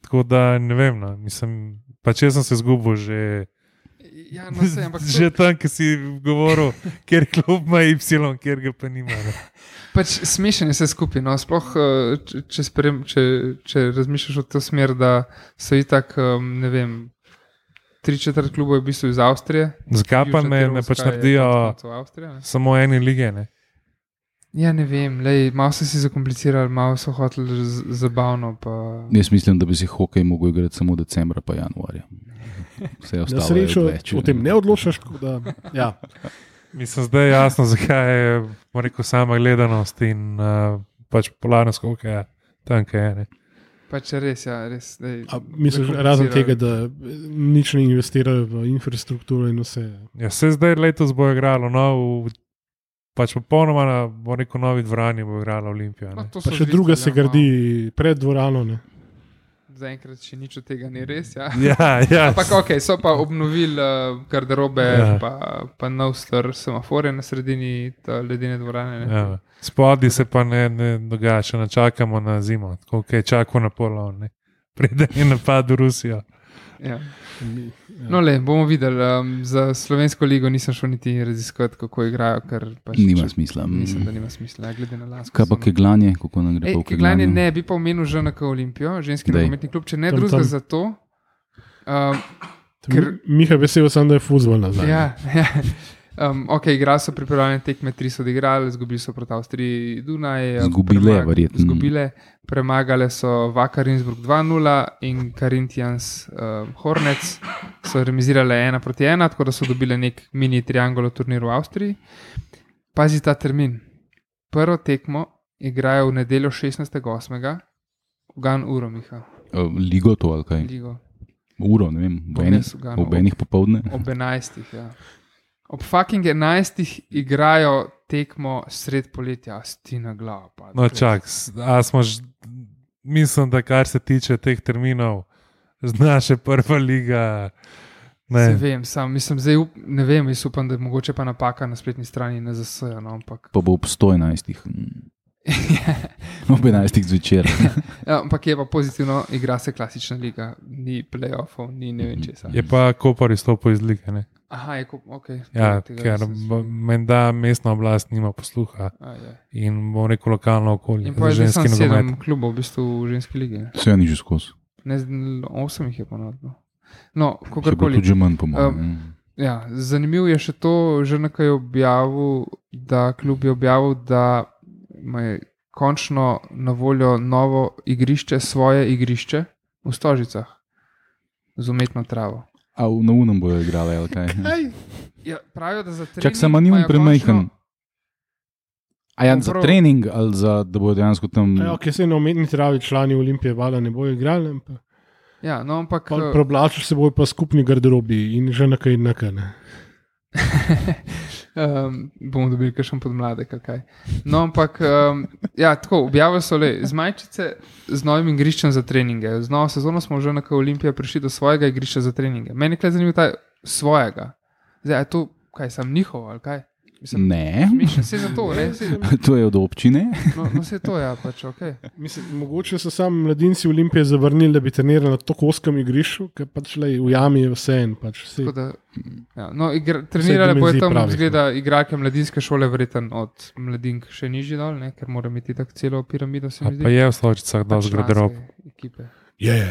tako da ne vem, no. Mislim, pač jaz sem se zgubil že, ja, no, se, že tam, ki si govoril, kjer klub ima Y, kjer ga pa nima. Ne. Pač smešen je vse skupaj, no, sploh če razmišljaš v to smer, da so itak, ne vem, 3/4 klubov je v bistvu iz Avstrije. Zakaj pa ne pač naredijo samo ene lige, ne? Ja, ne vem, malo so si zakomplicirali, malo so hoteli zabavno. Pa... Jaz mislim, da bi si hokej mogel igrati samo decembra pa januarja. Vse ostalo je odveč. O tem ne odločaš, da, ja. Mislim, zdaj je jasno, zakaj je rekel, sama gledanost in pač polarnost hokeja tam, kaj je. Ne. Pač res, ja, res. Misliš, razen tega, da nič ne investirajo v infrastrukturo in vse. Ja, se zdaj letos bo igralo, no, pač popolnoma na neko novi dvorani bo igrala Olimpija. Pa še druga se gradi pred dvorano. Ne? Zaenkrat še nič od tega ni res. Ja. Ja. Ampak ok, so pa obnovili garderobe, ja. pa nov star semaforje na sredini ledene dvorane. Ja. Spodaj se pa ne dogaja, še načakamo na zimo. Tako ok, čakamo na polon, preden je napad v Rusijo. Ja. No, bomo videli. Za slovensko ligo nisem šel niti raziskovati, kako igrajo. Pač, nima smisla. Mislim, da nima smisla, glede na lansko. Kaj pa keglanje? Kako nam gre po keglanje? Ne, bi pa omenil ŽNK Olimpijo, ženski nogometni klub, če ne drugega za to. Miha vesel sem, da je fuzbol nazaj. Ja. Ok, igrali so pripravljene tekme, 3 so odigrali, izgubili so proti Avstriji Dunaj. Izgubile, premagali so Vakar Innsbruck 2-0 in Corinthians Hornets so remizirali 1-1, tako da so dobili nek mini triangolo turnir v Avstriji. Pazi ta termin. Prvo tekmo igrajo v nedeljo 16.8. Ugan uro, Miha. Ligo to ali kaj? Ligo. Uro, ne vem, ob enih popoldne. Ob 11, ja. Ob fucking 11 igrajo tekmo sred poletja, Stina glava. No, čak, mislim, da kar se tiče teh terminov, znaš prva liga. Ne vem, zdaj ne vem, jaz upam, da je mogoče pa napaka na spletni strani NZS, no, ampak. Pa bo ob 111. Ob 11. zvečer. Ja, ampak je pa pozitivno, igra se klasična liga, ni playoffov, ni ne vem česa. Je pa Kopar izstopil iz lige, ne? Aha, je ok. Ja, ker menda mestna oblast nima posluha in bo neko lokalno okolje. In pa je že 7 klubov v bistvu v ženski ligi. Vse ni že skozi. Ne, 8 jih je ponovno. No, kakorkoli. Tudi že manj pomeni. Ja, zanimivo je še to, že nekaj objavil, da klub je objavil, da ima končno na voljo novo igrišče, svoje igrišče v Stožicah z umetno travo. A na unem bojo igrali, ali kaj? Ja, pravijo, da za trening. Čak samo ni un premajhen. A ja, za trening ali za, da bojo dejansko tam. Ja, ki se na umetni travi člani Olimpije vala ne bojo igrali. Ja, no, ampak. Preoblačili se bojo pa skupni garderobi in že nekaj ne. Bomo dobili kakšen podmladek, kaj. No, ampak, ja, tako, objavili so z majčice z novim igriščem za treninge. Z novo sezono smo že na Olimpiji prišli do svojega igrišča za treninge. Meni je zanimivo ta svojega. Zdaj, je to, kaj, sam njihov, ali kaj? Mislim, ne. Vse za to, ne? To je od občine. No, vse to, ja, pač, ok. Mislim, mogoče so sami mladinci Olimpije zavrnili, da bi trenirali na tako oskem igrišču, ker pač v jami je vse en. Pač ja, no, trenirali bojo tam, zgleda, igralke mladinske šole, vreten od mladink še nižji dol, ne? Ker mora imeti tako celo piramido. Pa je v Stožicah dosti garderob. Je.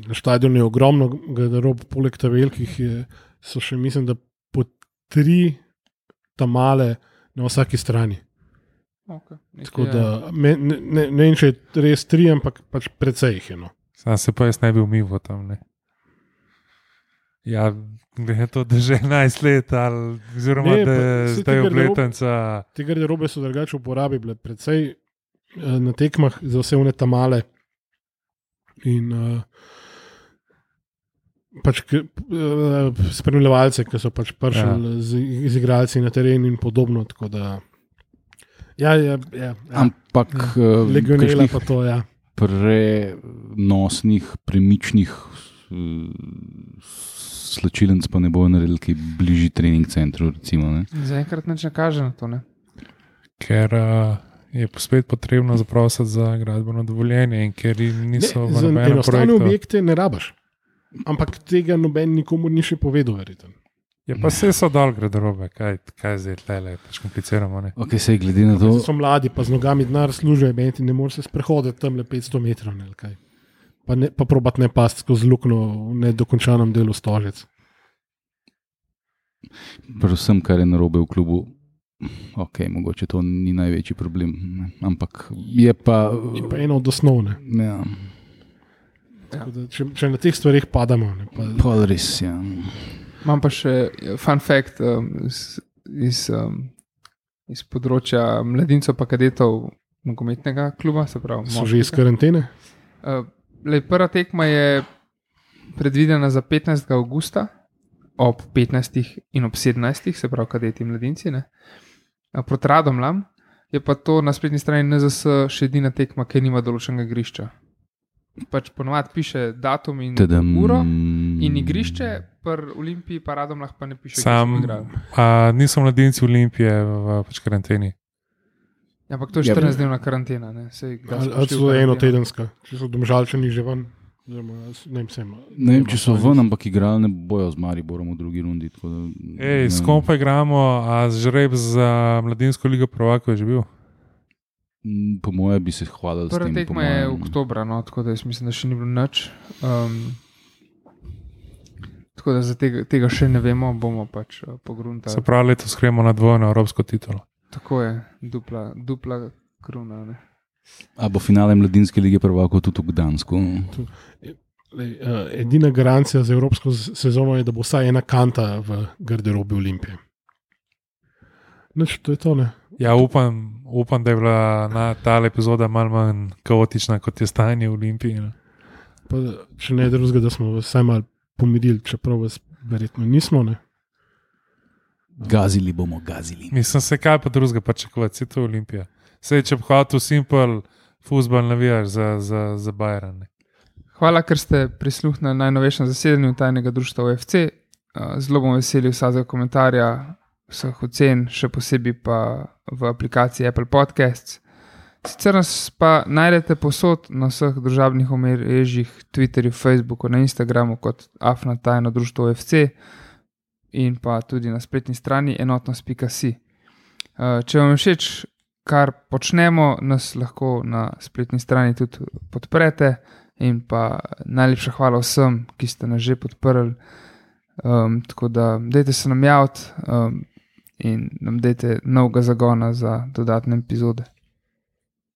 Na štadionu je ogromno garderob, poleg ta velikih so še, mislim, da po 3 tamale na vsaki strani. Okay. Tako da, ne vem, če je res 3, ampak pač precej jih je. No. Sam se pa jaz ne bi umival tam, ne. Ja, glede to, da že 11 let, ali oziroma, da zdaj obletenca. Te garderobe so drugače uporabi bile precej na tekmah za vse one tamale in pač spremljevalce, ki so pač prišli z igralci na teren in podobno, tako da ja. Ampak legionela pa to, ja. Prenosnih, premičnih slačilenc pa ne bojo naredili, ki bližji trening centru, recimo, ne? Zaenkrat nič ne kaže na to, ne? Ker je spet potrebno zaprositi za gradbeno dovoljenje in ker niso v nobenem projektu. Enostavne objekte ne rabaš. Ampak tega noben nikomu ni še povedal, verjetno. Ja, pa vse so dol garderobe, kaj zdaj tle, pač kompliciramo, ne? Ok, sej glede na to. So mladi, pa z nogami denar služijo, ne moreš se sprehoditi tam le 500 metrov, ne, kaj. Pa probat ne pasti skozi luknjo v nedokončanem delu Stožic. Predvsem, kar je narobe v klubu, ok, mogoče to ni največji problem, ne? Ampak je pa... Je pa eno od osnovne. Ja. Da, če na teh stvarih padamo. Pa res, ja. Imam pa še fun fact iz področja mladincev pa kadetov nogometnega kluba, se pravi. So že iz karantene? Prva tekma je predvidena za 15. avgusta ob 15. in ob 17. se pravi kadeti mladinci, ne? Proti Radomljam je pa to na spletni strani NZS še edina tekma, ki nima določenega igrišča. Pač ponovadi piše datum in uro in igrišče, pri Olimpiji pa Radomljah pa ne piše, niso mladinci Olimpije v pač karanteni. Ja, ampak to je 14-dnevna karantena, ne? Ali so enotedenska, če so Domžalčani že ven. Ne vem, če so ven, ampak igrali ne bojo z Mariborom v drugi rundi. S kom pa igramo, a žreb za mladinsko ligo prvakov je že bil? Po moje bi se hvalili s tem. Prva tekma je oktobra, no, tako da jaz mislim, da še ni bilo nič. Tako da za tega še ne vemo, bomo pač pogruntali. Se pravi, letos gremo na dvojno evropsko titulo. Tako je, dupla kruna, ne. A bo finale mladinske lige prvakov tudi v Gdansku? Edina garancija za evropsko sezono je, da bo vsaj ena kanta v garderobi Olimpije. Nič, to je to, ne. Ja, upam, da je bila ta epizoda malo manj kaotična, kot je stanje v Olimpiji. Pa, če ne drugega, da smo vsaj malo pomirili, čeprav vas verjetno nismo, ne. Gazili bomo, gazili. Mislim, se kaj pa drugega pričakovati, je to Olimpija. Sej, če bi hotel simpel futbol navijaš za Bayern. Hvala, ker ste prisluhnili najnovejšem zasedanju tajnega društva OFC. Zelo bom veseli vsakega komentarja, vseh ocen, še posebej pa v aplikaciji Apple Podcasts. Sicer nas pa najdete posod na vseh družabnih omrežjih, Twitterju, Facebooku, na Instagramu kot afna tajno društvo OFC in pa tudi na spletni strani enotnost.si. Če vam je všeč, kar počnemo, nas lahko na spletni strani tudi podprete in pa najlepša hvala vsem, ki ste nas že podprli. Tako da dajte se nam javiti in nam dajte novega zagona za dodatne epizode.